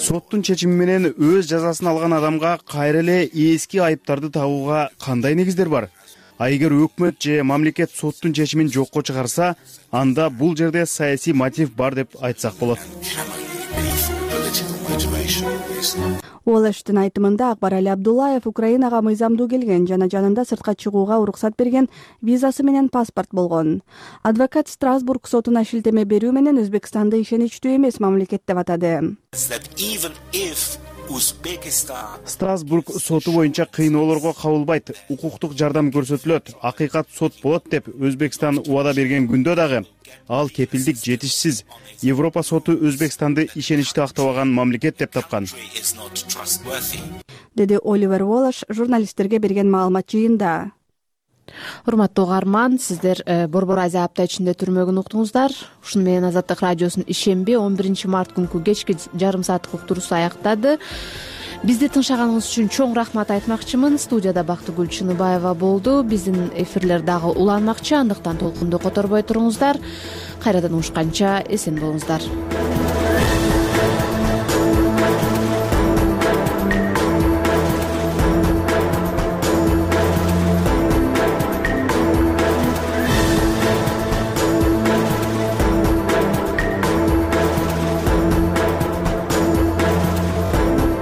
Соттун чечими менен өз жазасын алган адамга кайра эле эски айыптарды табууга кандай негиздер бар? Эгер өкмөт же мамлекет соттун чечимин жокко чыгарса, анда бул жерде саясий мотив бар деп айтсак болот. Уоллештин айтымында Акбарали Абдуллаев Украинага мыйзамдуу келген жана жанында сыртка чыгууга уруксат берген визасы менен паспорт болгон. Адвокат Страсбург сотуна шилтеме берүү менен Өзбекстанды ишеничтүү эмес мамлекет деп атады. Страсбург соту боюнча кыйноолорго кабылбайт, укуктук жардам көрсөтүлөт, акыйкат сот болот деп Өзбекстан убада берген күндө дагы ал кепилдик жетишсиз. Европа соту Өзбекстанды ишеничтүү актабаган мамлекет деп тапкан, деди Оливер Уоллеш журналисттерге берген маалымат жыйында. Урматтуу угарман, сиздер Борбор Азия апта ичинде түрмөгүн уктуңуздар. Ушуну менен Азаттык радиосунун ишемби 11 март күнкү кечки жарым сааттык уктуруусу аяктады. Бизди тыңшаганыңыз үчүн чоң рахмат айтмакчымын. Студияда Бактыгүл Чыныбаева болду. Биздин эфирлер дагы уланмакчы, андыктан толкунду которбой туруңуздар. Кайрадан угушканча эсен болуңуздар.